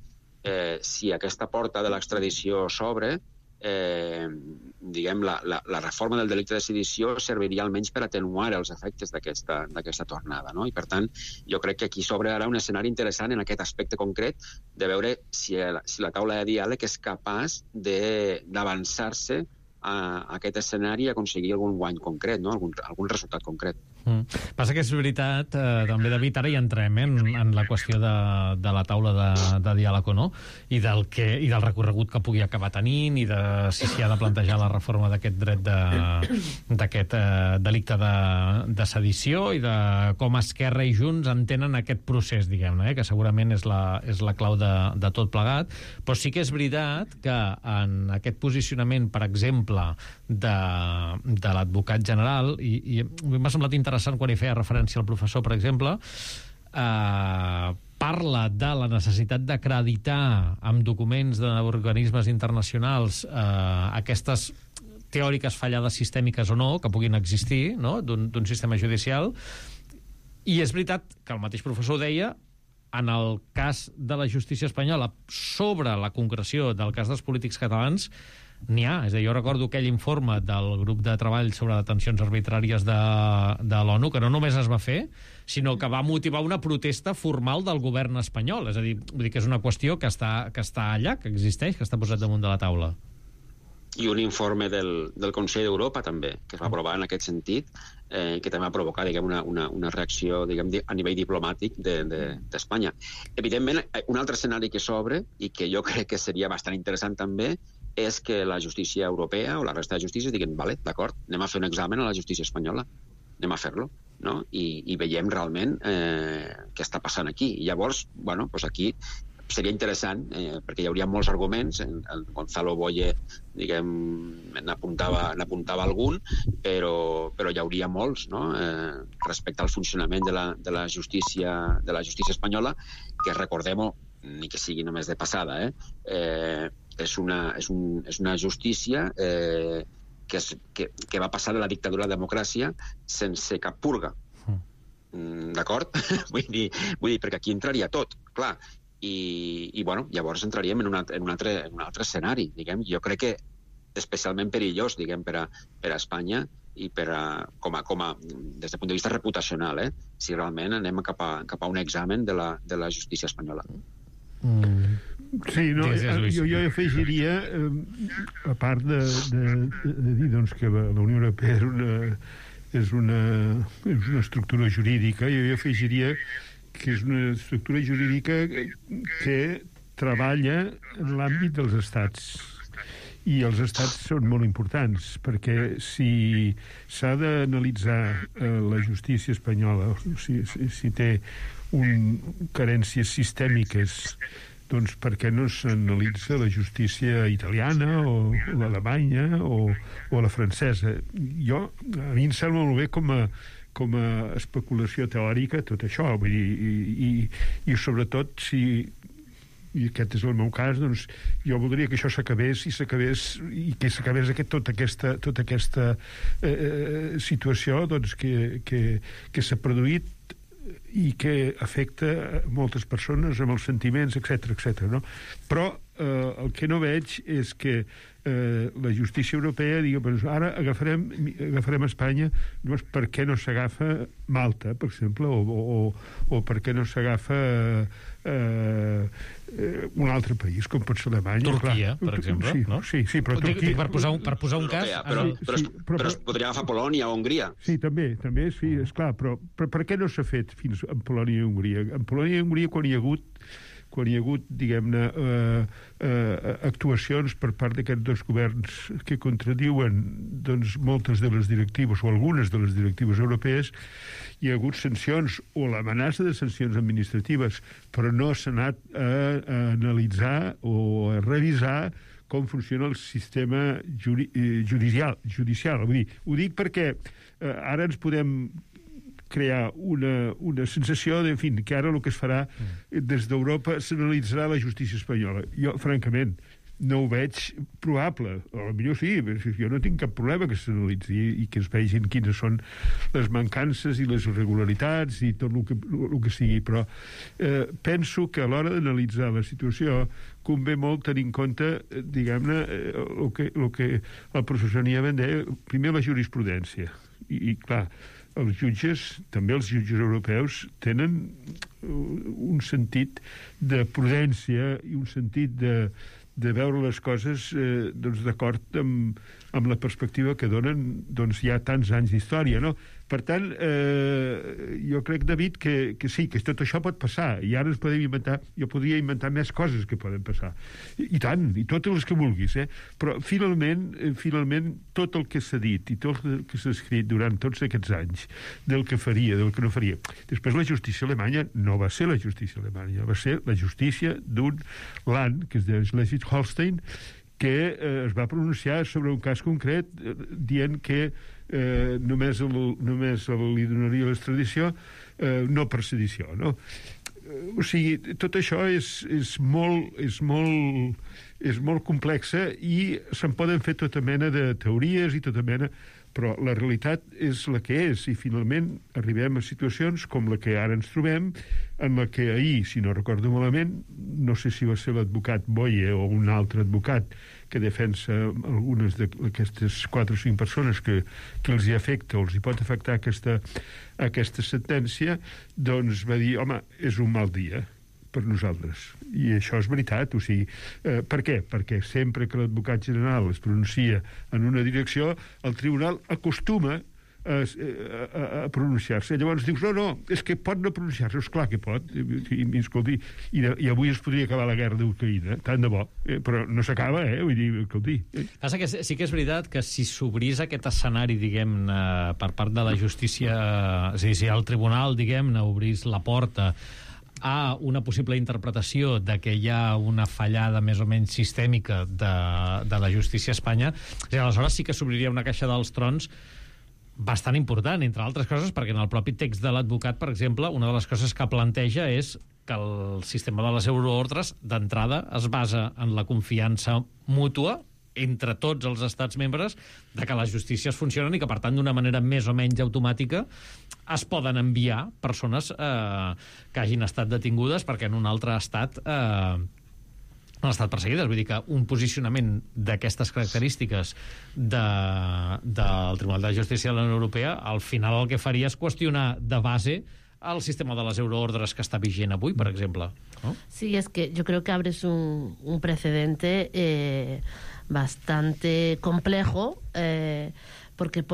S12: si aquesta porta de l'extradició s'obre, diguem, la reforma del delicte de sedició serviria almenys per atenuar els efectes d'aquesta tornada, no? I per tant, jo crec que aquí s'obre ara un escenari interessant en aquest aspecte concret de veure si la taula de diàleg és capaç d'avançar-se a aquest escenari i aconseguir algun guany concret, no? Algun resultat concret.
S1: Passa que és veritat, també, David, ara hi entrem en la qüestió de la taula de diàleg o no, i del recorregut que pugui acabar tenint, i de si s'hi ha de plantejar la reforma d'aquest dret d'aquest delicte de sedició, i de com Esquerra i Junts entenen aquest procés, diguem-ne, que segurament és la clau de tot plegat. Però sí que és veritat que en aquest posicionament, per exemple, de l'advocat general, i m'ha semblat interessant quan hi feia referència al professor, per exemple, parla de la necessitat d'acreditar amb documents d'organismes internacionals aquestes teòriques fallades sistèmiques o no, que puguin existir, no?, d'un sistema judicial. I és veritat que el mateix professor deia, en el cas de la justícia espanyola, sobre la concreció del cas dels polítics catalans, n'hi ha. És a dir, jo recordo aquell informe del grup de treball sobre detencions arbitràries de l'ONU, que no només es va fer, sinó que va motivar una protesta formal del govern espanyol. És a dir, vull dir que és una qüestió que està allà, que existeix, que està posat damunt de la taula.
S12: I un informe del Consell d'Europa, també, que es va aprovar en aquest sentit, que també va provocar, diguem, una reacció, diguem, a nivell diplomàtic d'Espanya. Evidentment, un altre escenari que s'obre, i que jo crec que seria bastant interessant també, és que la justícia europea o la resta de justícies diguin, vale, d'acord, anem a fer un examen a la justícia espanyola, anem a fer-lo, no? I veiem realment què està passant aquí. I llavors, bueno, doncs aquí seria interessant, perquè hi hauria molts arguments, el Gonzalo Boye, diguem, n'apuntava algun, però hi hauria molts, no?, respecte al funcionament de la justícia espanyola, que recordem-ho, ni que sigui només de passada, és una justícia que va passar de la dictadura a la democràcia sense cap purga. D'acord? Vull dir, perquè aquí entraria tot, clar. I bueno, llavors entraríem en un altre escenari, diguem. Jo crec que especialment perillós, diguem, per a Espanya i des del punt de vista reputacional, si realment anem cap a un examen de la justícia espanyola.
S9: Sí, no, jo afegiria, a part de dir doncs, que la Unió Europea és una estructura jurídica, jo afegiria que és una estructura jurídica que treballa en l'àmbit dels estats. I els estats són molt importants, perquè si s'ha d'analitzar la justícia espanyola, si té carències sistèmiques, doncs per què no s'analitza la justícia italiana o l'alemanya o la francesa? A mi em sembla molt bé com a especulació teòrica tot això, vull dir, i sobretot i aquest és el meu cas, doncs jo voldria que això s'acabés i que s'acabés tota aquesta situació doncs, que s'ha produït i que afecta moltes persones amb els sentiments, etc. No? Però el que no veig és que la justícia europea digui, ara agafarem Espanya, doncs per què no s'agafa Malta, per exemple, o per què no s'agafa un altre país, com pot ser Alemanya.
S1: Turquia, per exemple, no?
S9: Sí, però Turquia...
S1: Per posar un cas...
S12: Però es podria agafar Polònia o Hongria.
S9: Sí, també, sí, esclar, però per què no s'ha fet fins a Polònia i Hongria? En Polònia i Hongria, quan hi ha hagut, diguem-ne, actuacions per part d'aquests dos governs que contradiuen doncs, moltes de les directives o algunes de les directives europees, hi ha hagut sancions o l'amenaça de sancions administratives, però no s'ha anat a analitzar o a revisar com funciona el sistema judicial. Vull dir, ho dic perquè ara ens podem crear una sensació de, en fi, que ara el que es farà des d'Europa s'analitzarà la justícia espanyola. Jo, francament, no ho veig probable. O potser sí, jo no tinc cap problema que s'analitzi i que es vegin quines són les mancances i les irregularitats i tot el que sigui, però penso que a l'hora d'analitzar la situació convé molt tenir en compte, diguem-ne, el que el professor Nieven deia, primer la jurisprudència. I clar, els jutges, també els jutges europeus, tenen un sentit de prudència i un sentit de veure les coses doncs, d'acord amb la perspectiva que donen doncs, ja tants anys d'història, no? Per tant, jo crec, David, que sí, que tot això pot passar, i ara ens podem inventar, jo podria inventar més coses que poden passar, i tant, i totes les que vulguis, però finalment, tot el que s'ha dit i tot el que s'ha escrit durant tots aquests anys, del que faria, del que no faria, després la justícia alemanya no va ser la justícia alemanya, va ser la justícia d'un land, que es deia Schleswig-Holstein, que es va pronunciar sobre un cas concret dient que només li donaria l'extradició, no per sedició, no? O sigui, tot això és molt complexa i se'n poden fer tota mena de teories i tota mena, però la realitat és la que és, i finalment arribem a situacions com la que ara ens trobem, en la que ahir, si no recordo malament, no sé si va ser l'advocat Boye o un altre advocat que defensa algunes d'aquestes 4 o 5 persones que els hi afecta o els hi pot afectar aquesta sentència, doncs va dir, home, és un mal dia per nosaltres. I això és veritat, o sigui, per què? Perquè sempre que l'advocat general es pronuncia en una direcció, el tribunal acostuma a pronunciar-se. Llavors dius, no, és que pot no pronunciar-se. Esclar que pot. Escolti, i avui es podria acabar la guerra d'Ucraïna, tant de bo. Però no s'acaba, vull dir, escolti.
S1: Passa que sí que és veritat que si s'obrís aquest escenari, diguem-ne, per part de la justícia, és a dir, si el tribunal, diguem-ne, obrís la porta a una possible interpretació de que hi ha una fallada més o menys sistèmica de la justícia a Espanya, aleshores sí que s'obriria una caixa dels trons bastant important, entre altres coses, perquè en el propi text de l'advocat, per exemple, una de les coses que planteja és que el sistema de les euroordres, d'entrada, es basa en la confiança mútua entre tots els estats membres de que les justícies funcionen i que, per tant, d'una manera més o menys automàtica es poden enviar persones que hagin estat detingudes perquè en un altre estat han estat perseguides. Vull dir que un posicionament d'aquestes característiques del Tribunal de Justícia de la Unió Europea al final el que faria és qüestionar de base el sistema de les euroordres que està vigent avui, per exemple. ¿No?
S2: Sí, es que yo creo que abres un precedente bastante complejo porque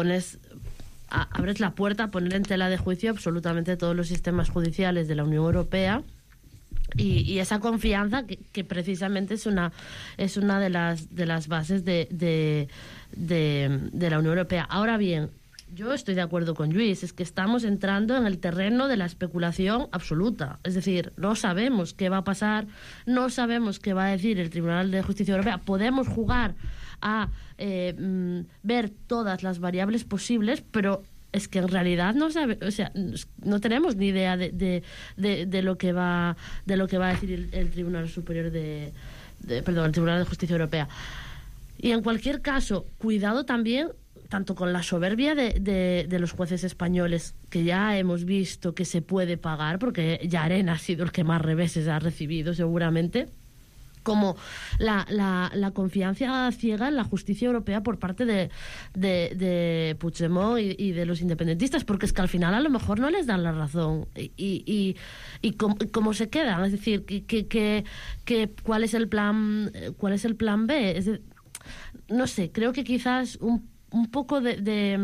S2: abres la puerta a poner en tela de juicio absolutamente todos los sistemas judiciales de la Unión Europea y esa confianza que precisamente es una de las bases de la Unión Europea. Ahora bien, yo estoy de acuerdo con Lluís, es que estamos entrando en el terreno de la especulación absoluta. Es decir, no sabemos qué va a pasar, no sabemos qué va a decir el Tribunal de Justicia Europea. Podemos jugar a ver todas las variables posibles, pero es que en realidad no tenemos ni idea de lo que va a decir el Tribunal Superior el Tribunal de Justicia Europea. Y en cualquier caso, cuidado también tanto con la soberbia de los jueces españoles, que ya hemos visto que se puede pagar, porque Llarena ha sido el que más reveses ha recibido seguramente, como la confianza ciega en la justicia europea por parte de Puigdemont y de los independentistas, porque es que al final a lo mejor no les dan la razón y cómo se quedan, es decir, ¿cuál es el plan B? No sé, creo que quizás un poco de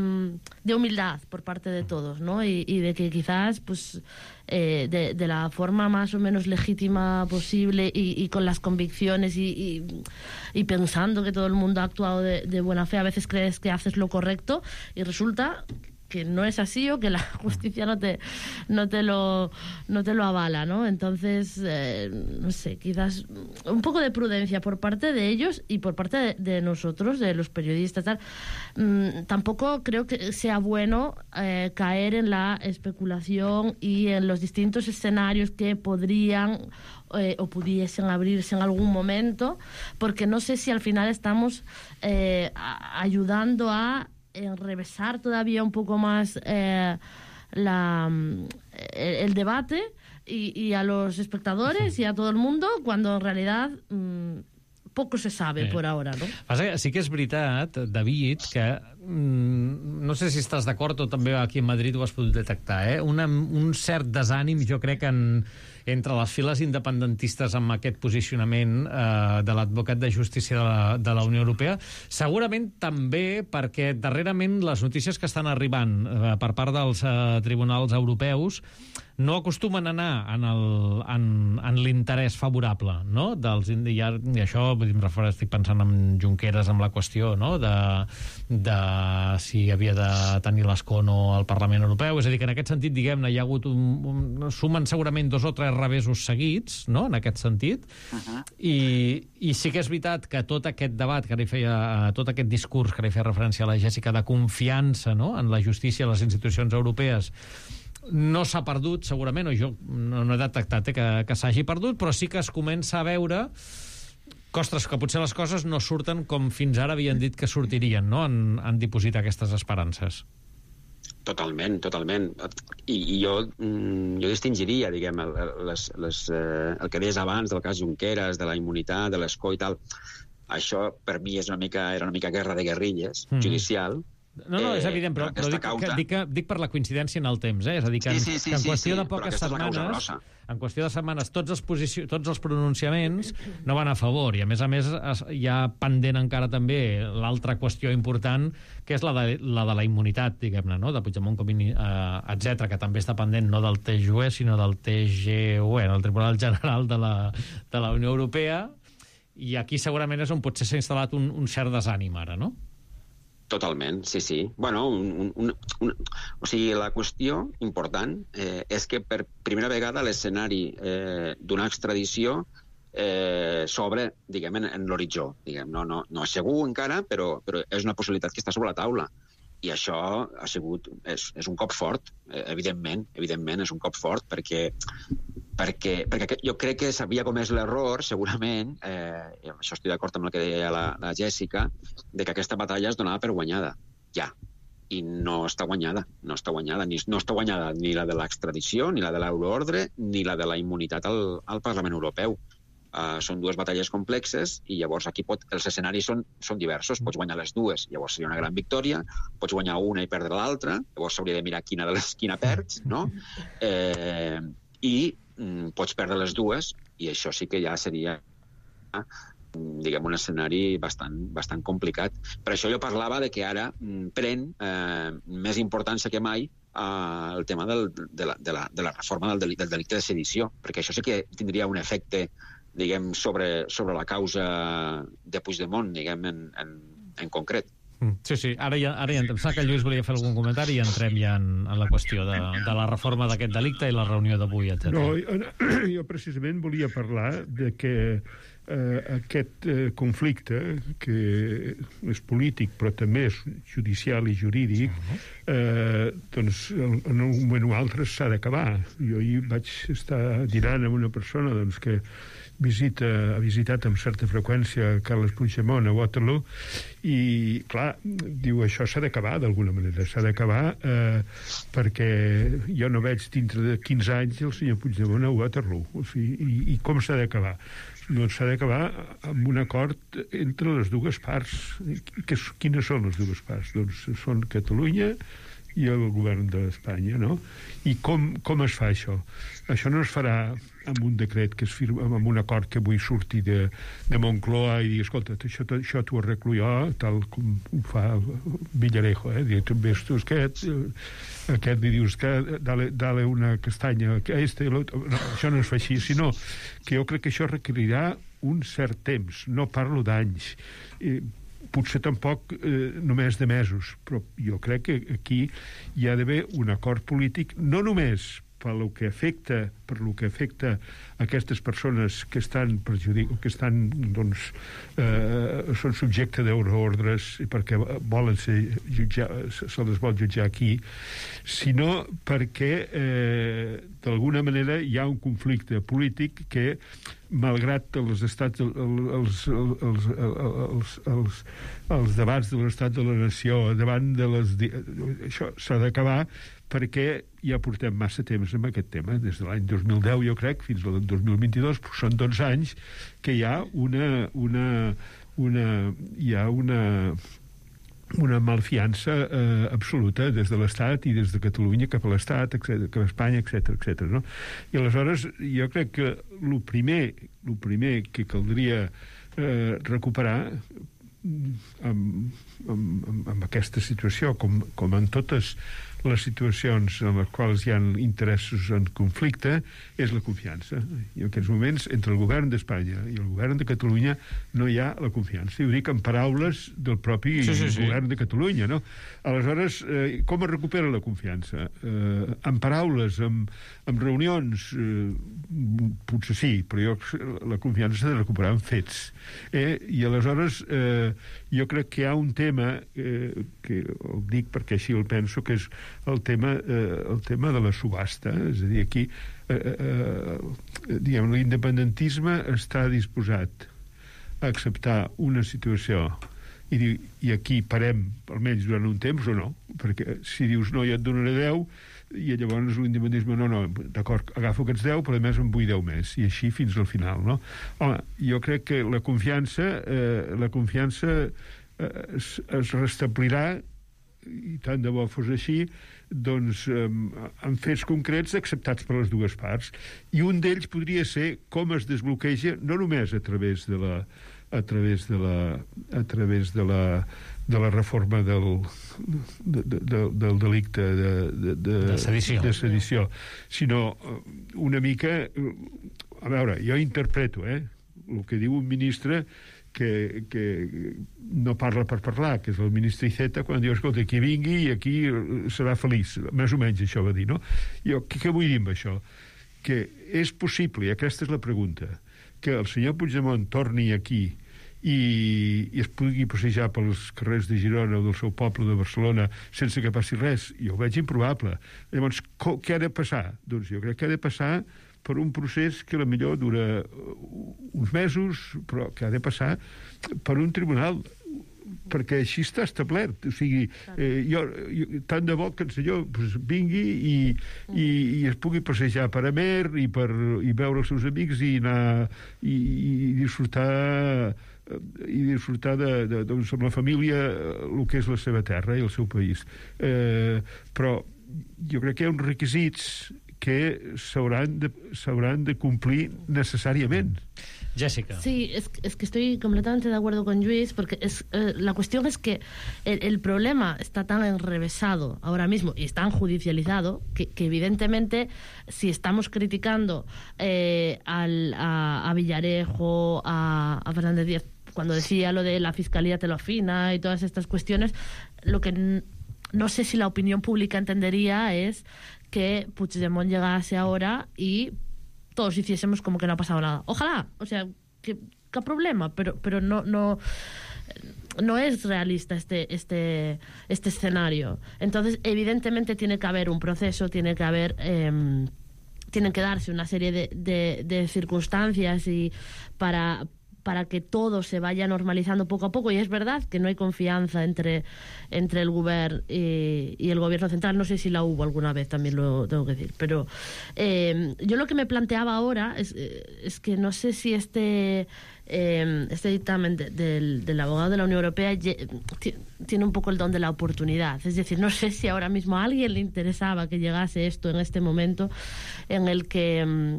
S2: humildad por parte de todos, ¿no? Y de que quizás pues de la forma más o menos legítima posible y con las convicciones y pensando que todo el mundo ha actuado de buena fe, a veces crees que haces lo correcto y resulta que no es así o que la justicia no te lo avala, ¿no? Entonces, no sé, quizás un poco de prudencia por parte de ellos y por parte de nosotros, de los periodistas, tal. Tampoco creo que sea bueno caer en la especulación y en los distintos escenarios que podrían o pudiesen abrirse en algún momento, porque no sé si al final estamos ayudando a enrevesar todavía un poco más el debate y a los espectadores y a todo el mundo, cuando en realidad poco se sabe por ahora, ¿no?
S1: Sí que és veritat, David, que no sé si estàs d'acord o també aquí a Madrid ho has pogut detectar, un cert desànim, jo crec, entre les files independentistes amb aquest posicionament de l'advocat de justícia de la Unió Europea, segurament també perquè darrerament les notícies que estan arribant per part dels tribunals europeus no acostumen a anar en l'interès favorable, no? I això, estic pensant en Junqueras, amb la qüestió, no? de si havia de tenir l'escó o no al Parlament Europeu. És a dir, que en aquest sentit, diguem-ne, hi ha hagut sumen segurament 2 o 3 revesos seguits, no?, en aquest sentit. I sí que és veritat que tot aquest debat que li feia, tot aquest discurs que li feia referència a la Jèssica de confiança, no?, en la justícia i les institucions europees, no s'ha perdut, segurament, o jo no he detectat que s'hagi perdut, però sí que es comença a veure que, ostres, que potser les coses no surten com fins ara havien dit que sortirien, no?, en dipositar aquestes esperances.
S12: Totalment. I jo distingiria, diguem, el que deies abans del cas Junqueras, de la immunitat, de l'escó i tal. Això, per mi, era una mica guerra de guerrilles judicial,
S1: No, és evident, però dic per la coincidència en el temps, és a dir, que en qüestió de poques setmanes, en qüestió de setmanes, tots els pronunciaments no van a favor, i a més hi ha pendent encara també l'altra qüestió important, que és la de la immunitat, diguem-ne, no? De Puigdemont, Comín, etc., que també està pendent no del TJUE, sinó del TGUE, del Tribunal General de la Unió Europea, i aquí segurament és on potser s'ha instal·lat un cert desànim ara, no?
S12: Totalment, sí. Bueno, o sigui, la qüestió important és que per primera vegada l'escenari d'una extradició s'obre, diguem, en l'horitzó. No és segur encara, però és una possibilitat que està sobre la taula. I això ha sigut... És un cop fort, evidentment, és un cop fort, perquè jo crec que s'havia comès l'error, segurament, i amb això estic d'acord amb el que deia la Jèssica, de que aquesta batalla es donava per guanyada, ja. I no està guanyada. No està guanyada ni la de l'extradició, ni la de l'euroordre, ni la de la immunitat al Parlament Europeu. Són dues batalles complexes i llavors aquí els escenaris són diversos. Pots guanyar les dues, llavors seria una gran victòria. Pots guanyar una i perdre l'altra, llavors s'hauria de mirar quina perds, no? I pots perdre les dues i això sí que ja seria, diguem, un escenari bastant complicat. Per això jo parlava de que ara pren més importància que mai el tema de la reforma del delicte de sedició, perquè això sí que tindria un efecte, diguem, sobre la causa de Puigdemont, diguem, en concret.
S1: Sí, ara ja em sembla que Lluís volia fer algun comentari i entrem ja en la qüestió de la reforma d'aquest delicte i la reunió d'avui, etc.
S9: No, jo precisament volia parlar de que aquest conflicte, que és polític però també és judicial i jurídic, doncs en un moment o altre s'ha d'acabar. Jo ahir vaig estar dinant amb una persona que ha visitat amb certa freqüència Carles Puigdemont a Waterloo i, clar, diu, això s'ha d'acabar d'alguna manera, s'ha d'acabar perquè jo no veig dintre de 15 anys el senyor Puigdemont a Waterloo. O sigui, i com s'ha d'acabar? Doncs s'ha d'acabar amb un acord entre les dues parts. Quines són les dues parts? Doncs són Catalunya i el govern d'Espanya, no? I com es fa això? Això no es farà amb un decret que es firma, amb un acord que avui surti de Moncloa i dir, escolta, això t'ho arreglo jo, tal com ho fa Villarejo, tu ves tu aquest li dius que dale una castanya a no, això no es fa així, sinó que jo crec que això requerirà un cert temps, no parlo d'anys, potser tampoc només de mesos, però jo crec que aquí hi ha d'haver un acord polític, no només per lo que afecta aquestes persones que estan doncs són subjecte d'euroordres perquè volen ser jutjats, se les vol jutjar aquí, sinó perquè d'alguna manera hi ha un conflicte polític que, malgrat els estats els debats de l'estat de la nació davant de això s'ha d'acabar, perquè ja portem massa temps amb aquest tema, des de l'any 2010 jo crec fins al 2022, són 12 anys que hi ha una malfiança absoluta des de l'Estat i des de Catalunya cap a l'Estat, cap a Espanya, etc. No? I aleshores jo crec que el primer que caldria recuperar amb aquesta situació, com en totes les situacions en les quals hi ha interessos en conflicte, és la confiança. I en aquests moments, entre el govern d'Espanya i el govern de Catalunya no hi ha la confiança. I ho dic en paraules del propi govern de Catalunya, no? Aleshores, com es recupera la confiança? En paraules, en reunions, potser sí, però la confiança s'ha de recuperar en fets. I aleshores jo crec que hi ha un tema que el dic perquè així el penso, que és el tema de la subhasta. És a dir, aquí l'independentisme està disposat a acceptar una situació i aquí parem almenys durant un temps o no, perquè si dius no, jo et donaré 10 i llavors l'independentisme no, d'acord, agafo aquests 10 però a més en vull 10 més i així fins al final, no? Home, jo crec que la confiança es restablirà i tant de bo fos així, doncs amb fets concrets acceptats per les dues parts. I un d'ells podria ser com es desbloqueja, no només a través de la reforma del delicte de sedició, sinó una mica... A veure, jo interpreto, el que diu un ministre que no parla per parlar, que és el ministre Iceta, quan diu, escolta, qui vingui i aquí serà feliç. Més o menys això va dir, no? Jo què vull dir amb això? Que és possible, i aquesta és la pregunta, que el senyor Puigdemont torni aquí i es pugui passejar pels carrers de Girona o del seu poble de Barcelona sense que passi res. Jo ho veig improbable. Llavors, què ha de passar? Doncs jo crec que ha de passar per un procés que potser dura uns mesos, però que ha de passar per un tribunal, perquè així està establert. O sigui, jo tant de bo que el senyor vingui i es pugui passejar per Amer i veure els seus amics i anar i disfrutar doncs, amb la família el que és la seva terra i el seu país. Però jo crec que hi ha uns requisits que s'hauran de cumplir necesariamente.
S1: Jessica.
S2: Sí, es que estoy completamente de acuerdo con Lluís, porque la cuestión es que el problema está tan enrevesado ahora mismo y tan judicializado que evidentemente si estamos criticando a Villarejo, a Fernández Díaz, cuando decía lo de la Fiscalía te lo afina y todas estas cuestiones, lo que no sé si la opinión pública entendería es que Puigdemont llegase ahora y todos hiciésemos como que no ha pasado nada. Ojalá, o sea, ¿qué problema? Pero no es realista este escenario. Entonces, evidentemente tiene que haber un proceso, tienen que darse una serie de circunstancias y para que todo se vaya normalizando poco a poco, y es verdad que no hay confianza entre el gobierno y el gobierno central. No sé si la hubo alguna vez, también lo tengo que decir, pero yo lo que me planteaba ahora es que no sé si este dictamen del abogado de la Unión Europea tiene un poco el don de la oportunidad. Es decir, no sé si ahora mismo a alguien le interesaba que llegase esto en este momento en el que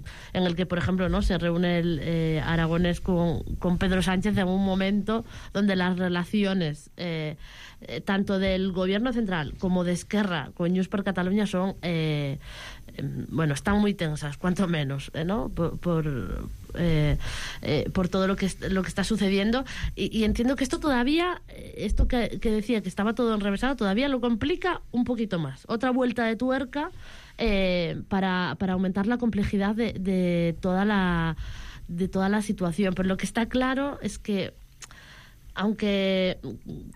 S2: por ejemplo, no se reúne el Aragonés con Pedro Sánchez en un momento donde las relaciones tanto del gobierno central como de Esquerra con Junts per Catalunya son están muy tensas, cuanto menos, ¿no? Por todo lo que está sucediendo, y entiendo que esto todavía, esto que decía que estaba todo enrevesado, todavía lo complica un poquito más. Otra vuelta de tuerca para aumentar la complejidad de toda la situación. Pero lo que está claro es que, aunque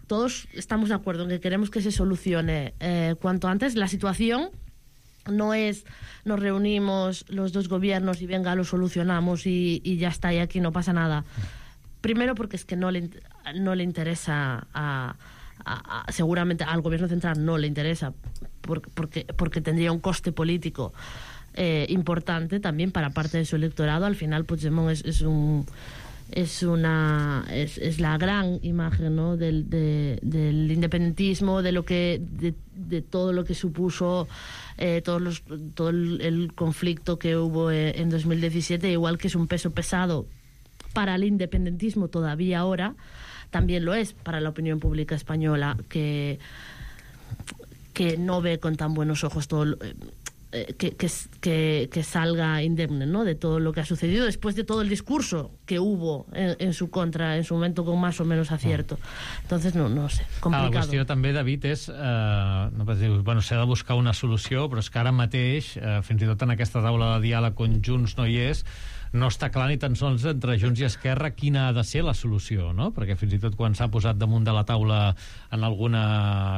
S2: todos estamos de acuerdo en que queremos que se solucione cuanto antes, la situación no es nos reunimos los dos gobiernos y venga, lo solucionamos y ya está, y aquí no pasa nada. Primero porque es que no le interesa seguramente al gobierno central, no le interesa porque tendría un coste político importante también para parte de su electorado. Al final Puigdemont es la gran imagen, ¿no? del independentismo, de todo lo que supuso todo el conflicto que hubo en 2017, igual que es un peso pesado para el independentismo todavía ahora, también lo es para la opinión pública española, que no ve con tan buenos ojos todo que salga indemne, ¿no? De todo lo que ha sucedido después de todo el discurso que hubo en su contra en su momento, con más o menos acierto. Entonces no sé, complicado.
S1: La qüestió també, David, és s'ha de buscar una solució, però és que ara mateix fins i tot en aquesta taula de diàleg on Junts no hi és, no està clar ni tan sols entre Junts i Esquerra quina ha de ser la solució, no? Perquè fins i tot quan s'ha posat damunt de la taula en alguna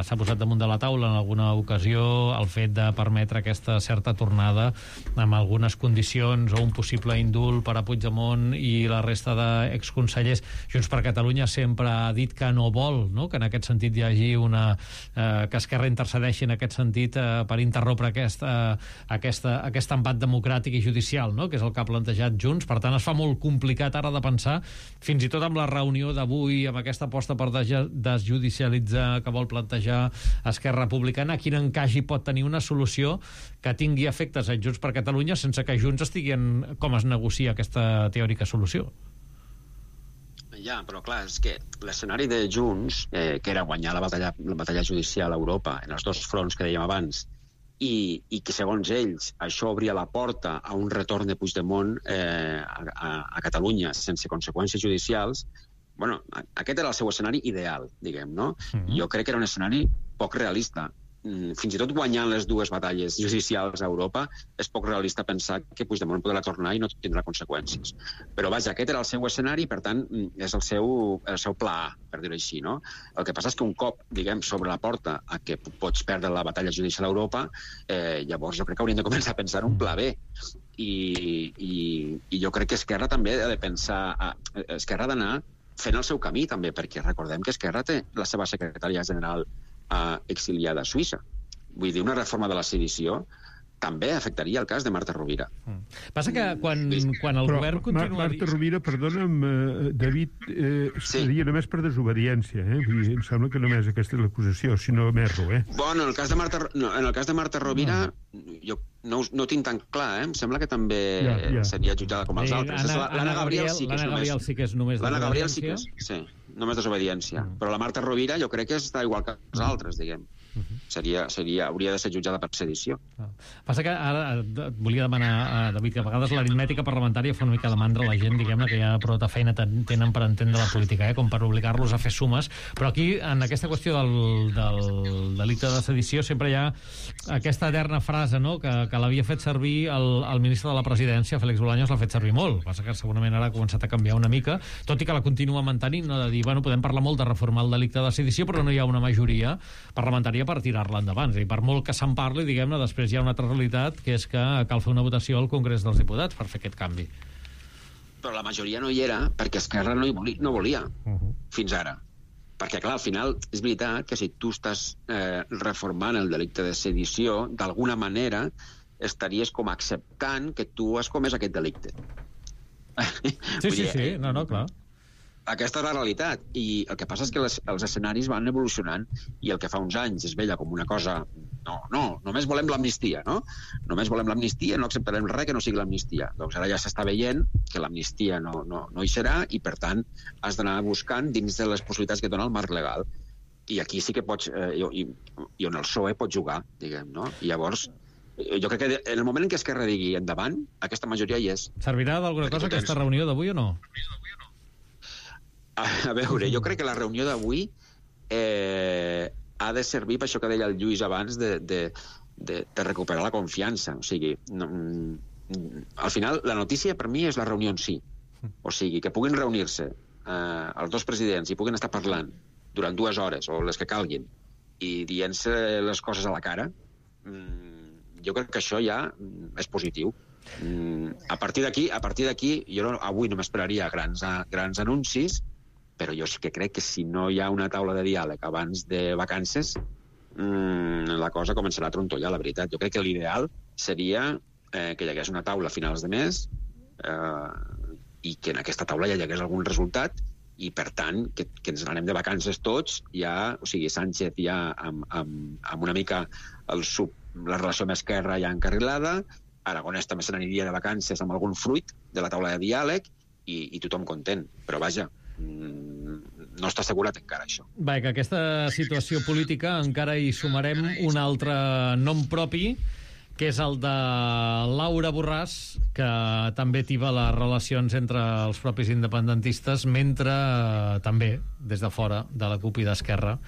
S1: ocasió el fet de permetre aquesta certa tornada amb algunes condicions o un possible indult per a Puigdemont i la resta d'exconsellers. Junts per Catalunya sempre ha dit que no vol, no? Que en aquest sentit hi hagi que Esquerra intercedeixi en aquest sentit per interrompre aquest empat democràtic i judicial, no? Que és el que ha plantejat Junts. Per tant, es fa molt complicat ara de pensar, fins i tot amb la reunió d'avui, amb aquesta aposta per desjudicialitzar que vol plantejar Esquerra Republicana, quin encaix hi pot tenir una solució que tingui efectes a Junts per Catalunya sense que Junts estigui en com es negocia aquesta teòrica solució.
S12: Ja, però clar, és que l'escenari de Junts, que era guanyar la batalla judicial a Europa en els dos fronts que dèiem abans, i que, segons ells, això obria la porta a un retorn de Puigdemont a Catalunya sense conseqüències judicials, bueno, aquest era el seu escenari ideal, diguem, no? Jo crec que era un escenari poc realista. Fins i tot guanyant les dues batalles judicials a Europa, és poc realista pensar que Puigdemont podrà tornar i no tindrà conseqüències. Però, vaja, aquest era el seu escenari, per tant, és el seu pla A, per dir-ho així, no? El que passa és que un cop, diguem, sobre la porta a que pots perdre la batalla judicial a Europa, llavors jo crec que hauríem de començar a pensar un pla B. I jo crec que Esquerra també ha de pensar... Esquerra ha d'anar fent el seu camí, també, perquè recordem que Esquerra té la seva secretària general exiliada a Suïssa. Vull dir, una reforma de la sedició també afectaria el cas de Marta Rovira.
S1: Passa que quan el govern continua...
S9: Marta Rovira, perdona'm, David, seria només per desobediència, Vull dir, em sembla que només aquesta és l'acusació, si no m'erro,
S12: Bueno, en el cas de Marta Rovira, jo no ho tinc tan clar, Em sembla que també seria jutjada com els altres. L'Anna Gabriel sí que és només
S1: desobediència.
S12: L'Anna Gabriel sí que és, sí, només desobediència. Però la Marta Rovira jo crec que està igual que els altres, diguem. Hauria de ser jutjada per sedició.
S1: Passa que ara et volia demanar, David, que a vegades l'aritmètica parlamentària fa una mica de mandra a la gent, diguem-ne, que ja prou de feina tenen per entendre la política, com per obligar-los a fer sumes, però aquí, en aquesta qüestió del delicte de sedició, sempre hi ha aquesta eterna frase, no?, que l'havia fet servir el ministre de la Presidència, Félix Bolaños, l'ha fet servir molt. Passa que segurament ara ha començat a canviar una mica, tot i que la continua mantenint, no?, de dir, bueno, podem parlar molt de reformar el delicte de sedició, però no hi ha una majoria parlamentària per tirar-la endavant. És a dir, per molt que se'n parli, diguem-ne, després hi ha una altra realitat, que és que cal fer una votació al Congrés dels Diputats per fer aquest canvi.
S12: Però la majoria no hi era perquè Esquerra no volia fins ara. Perquè, clar, al final és veritat que si tu estàs reformant el delicte de sedició, d'alguna manera estaries com acceptant que tu has comès aquest delicte.
S1: Sí, no, clar.
S12: Aquesta és la realitat, i el que passa és que els escenaris van evolucionant, i el que fa uns anys es veia com una cosa... No, només volem l'amnistia, no? Només volem l'amnistia, no acceptarem res que no sigui l'amnistia. Doncs ara ja s'està veient que l'amnistia no hi serà, i per tant has d'anar buscant dins de les possibilitats que dona el marc legal. I aquí sí que pots... I on el PSOE pot jugar, diguem, no? I llavors... Jo crec que en el moment en què Esquerra digui endavant, aquesta majoria hi és.
S1: Servirà d'alguna cosa aquesta reunió d'avui o no?
S12: A veure, jo crec que la reunió d'avui ha de servir per això que deia el Lluís abans de recuperar la confiança. O sigui, al final la notícia per mi és la reunió en si. O sigui, que puguin reunir-se els dos presidents i puguin estar parlant durant 2 hores o les que calguin i dient-se les coses a la cara, jo crec que això ja és positiu. A partir d'aquí jo avui no m'esperaria grans anuncis, però jo sí que crec que si no hi ha una taula de diàleg abans de vacances, la cosa començarà a trontollar, la veritat. Jo crec que l'ideal seria que hi hagués una taula a finals de mes i que en aquesta taula ja hi hagués algun resultat i, per tant, que ens n'anem de vacances tots, ja, o sigui, Sánchez ja amb una mica la relació amb Esquerra ja encarrilada, Aragonès també se n'aniria de vacances amb algun fruit de la taula de diàleg i tothom content. Però, vaja, no està assegurat encara això.
S1: Va, que aquesta situació política encara hi sumarem un altre nom propi, que és el de Laura Borràs, que també tiba les relacions entre els propis independentistes, mentre també, des de fora de la CUP i d'Esquerra,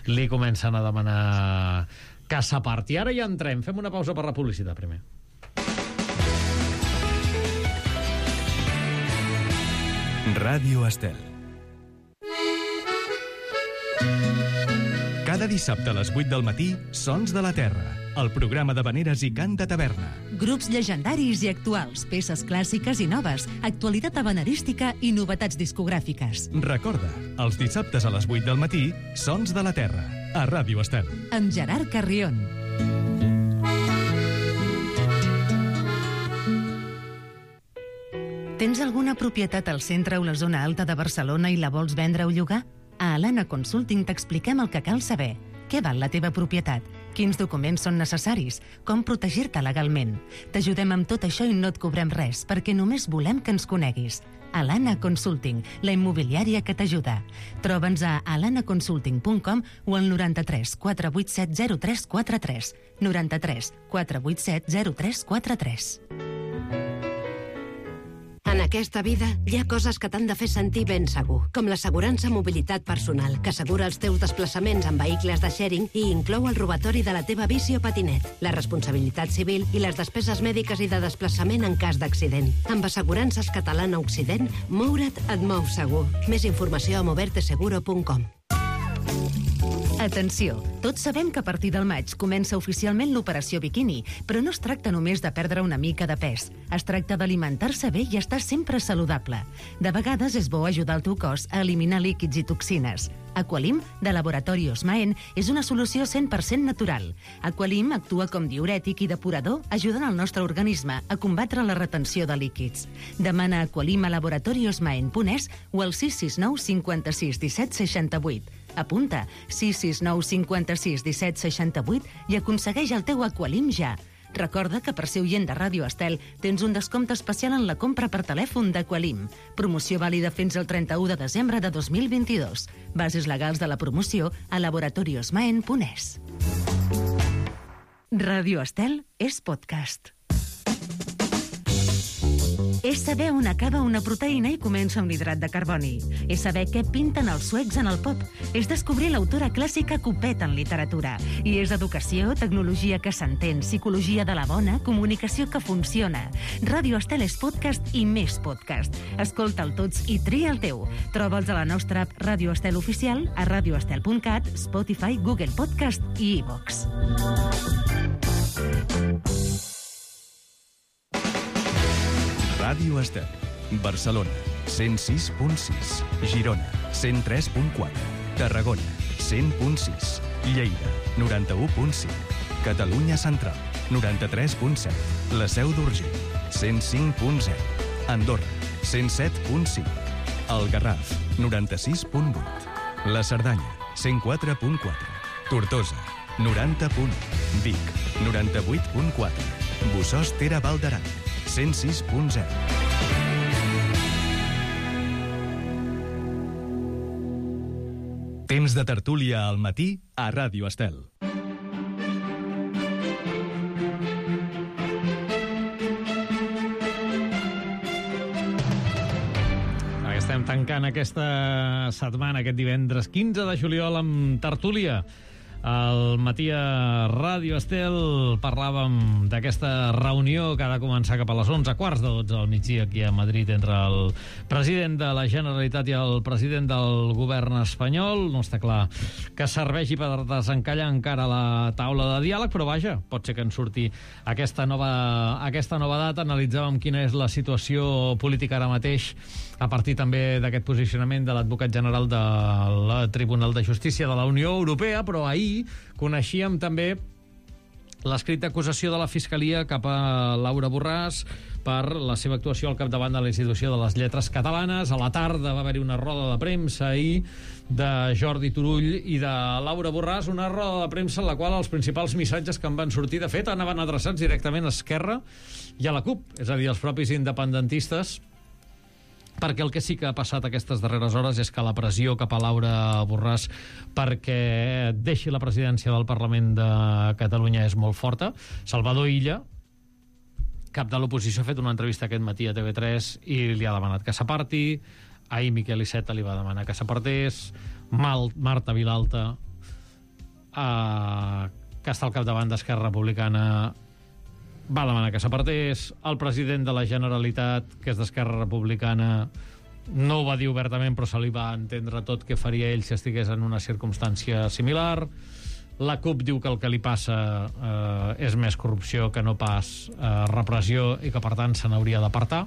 S1: li comencen a demanar que s'aparti. I ara ja entrem. Fem una pausa per la publicitat, primer.
S3: Ràdio Estel. Cada dissabte a les 8 del matí, Sons de la Terra, el programa d'havaneres i cant de taverna.
S7: Grups llegendaris i actuals, peces clàssiques i noves, actualitat havanerística i novetats discogràfiques.
S3: Recorda, els dissabtes a les 8 del matí, Sons de la Terra, a Ràdio Estel.
S7: Amb Gerard Carrion. Tens alguna propietat al centre o la zona alta de Barcelona i la vols vendre o llogar? A Alana Consulting t'expliquem el que cal saber. Què val la teva propietat? Quins documents són necessaris? Com protegir-te legalment? T'ajudem amb tot això i no et cobrem res, perquè només volem que ens coneguis. Alana Consulting, la immobiliària que t'ajuda. Troba'ns a alanaconsulting.com o al 93 487 0343. 93 487 0343.
S13: En aquesta vida hi ha coses que t'han de fer sentir ben segur, com l'assegurança mobilitat personal, que assegura els teus desplaçaments en vehicles de sharing i inclou el robatori de la teva bici o patinet, la responsabilitat civil i les despeses mèdiques i de desplaçament en cas d'accident. Amb Assegurances Catalana Occident, moure't et mou segur. Més informació a moverteseguro.com.
S7: Atenció, tots sabem que a partir del maig comença oficialment l'operació Bikini, però no es tracta només de perdre una mica de pes. Es tracta d'alimentar-se bé i estar sempre saludable. De vegades és bo ajudar el teu cos a eliminar líquids i toxines. Aqualim, de Laboratori Osmaen, és una solució 100% natural. Aqualim actua com diürètic i depurador, ajudant el nostre organisme a combatre la retenció de líquids. Demana Aqualim a laboratoriosmaen.es o al 669 56 17 68. Apunta 669 56 17 68 i aconsegueix el teu Aqualim ja. Recorda que per ser oient de Ràdio Estel tens un descompte especial en la compra per telèfon d'Aqualim. Promoció vàlida fins al 31 de desembre de 2022. Bases legals de la promoció a laboratoriosmaen.es. Ràdio Estel és podcast. És saber on acaba una proteïna i comença un hidrat de carboni. És saber què pinten els suecs en el pop. És descobrir l'autora clàssica Copet en literatura. I és educació, tecnologia que s'entén, psicologia de la bona, comunicació que funciona. Ràdio Estel és podcast i més podcast. Escolta'l tots i tria el teu. Troba'ls a la nostra app Ràdio Estel Oficial, a radioestel.cat, Spotify, Google Podcast i iVox.
S3: Ràdio Estel. Barcelona, 106.6. Girona, 103.4. Tarragona, 100.6. Lleida, 91.5. Catalunya Central, 93.7. La Seu d'Urgell, 105.0. Andorra, 107.5. El Garraf, 96.8. La Cerdanya, 104.4. Tortosa, 90.1. Vic, 98.4. Bossòst Tere Val d'Aran, 106.0. Temps de tertúlia al matí a Ràdio Estel.
S1: Estem tancant aquesta setmana, aquest divendres 15 de juliol, amb tertúlia. Al matí a Ràdio Estel parlàvem d'aquesta reunió que ha de començar cap a les 11, quarts de 12 al migdia aquí a Madrid, entre el president de la Generalitat i el president del govern espanyol. No està clar que serveixi per desencallar encara la taula de diàleg, però vaja, pot ser que en surti aquesta nova data. Analitzàvem quina és la situació política ara mateix a partir també d'aquest posicionament de l'advocat general del Tribunal de Justícia de la Unió Europea, però ahir coneixíem també l'escrit d'acusació de la Fiscalia cap a Laura Borràs per la seva actuació al capdavant de la Institució de les Lletres Catalanes. A la tarda va haver-hi una roda de premsa ahir de Jordi Turull i de Laura Borràs, una roda de premsa en la qual els principals missatges que en van sortir, de fet, anaven adreçats directament a Esquerra i a la CUP, és a dir, als propis independentistes, perquè el que sí que ha passat aquestes darreres hores és que la pressió cap a Laura Borràs perquè deixi la presidència del Parlament de Catalunya és molt forta. Salvador Illa, cap de l'oposició, ha fet una entrevista aquest matí a TV3 i li ha demanat que s'aparti. Ahir Miquel Iceta li va demanar que s'apartés. Marta Vilalta, que està al capdavant d'Esquerra Republicana, va demanar que s'apartés. El president de la Generalitat, que és d'Esquerra Republicana, no ho va dir obertament, però se li va entendre tot què faria ell si estigués en una circumstància similar. La CUP diu que el que li passa és més corrupció que no pas repressió i que, per tant, se n'hauria d'apartar.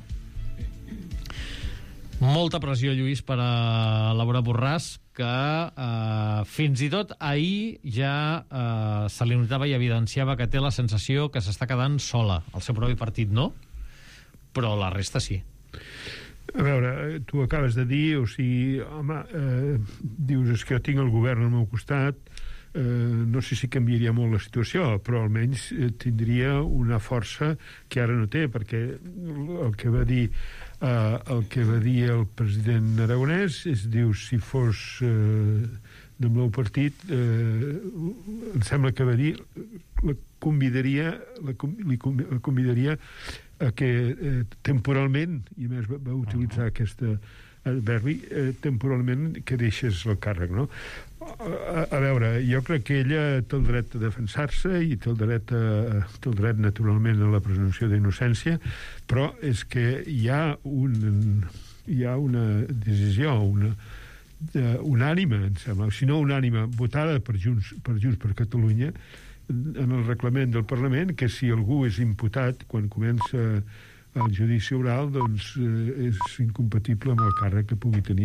S1: Molta pressió, Lluís, per a Laura Borràs, que fins i tot ahir ja se li notava i evidenciava que té la sensació que s'està quedant sola. El seu propi partit no, però la resta sí.
S9: A veure, tu acabes de dir, o sigui, home, dius, és que jo tinc el govern al meu costat, no sé si canviaria molt la situació, però almenys tindria una força que ara no té, perquè el que va dir el president Aragonès és, diu, si fos del meu partit, em sembla que va dir, la convidaria a que temporalment, i a més va utilitzar aquest verbi, temporalment que deixes el càrrec, no? A veure, jo crec que ella té el dret a defensar-se i té el dret naturalment a la presumpció d'innocència, però és que hi ha una decisió, unànime, em sembla, si no unànime, votada per Junts per Catalunya, en el reglament del Parlament, que si algú és imputat quan comença el judici oral, doncs és incompatible amb el càrrec que pugui tenir.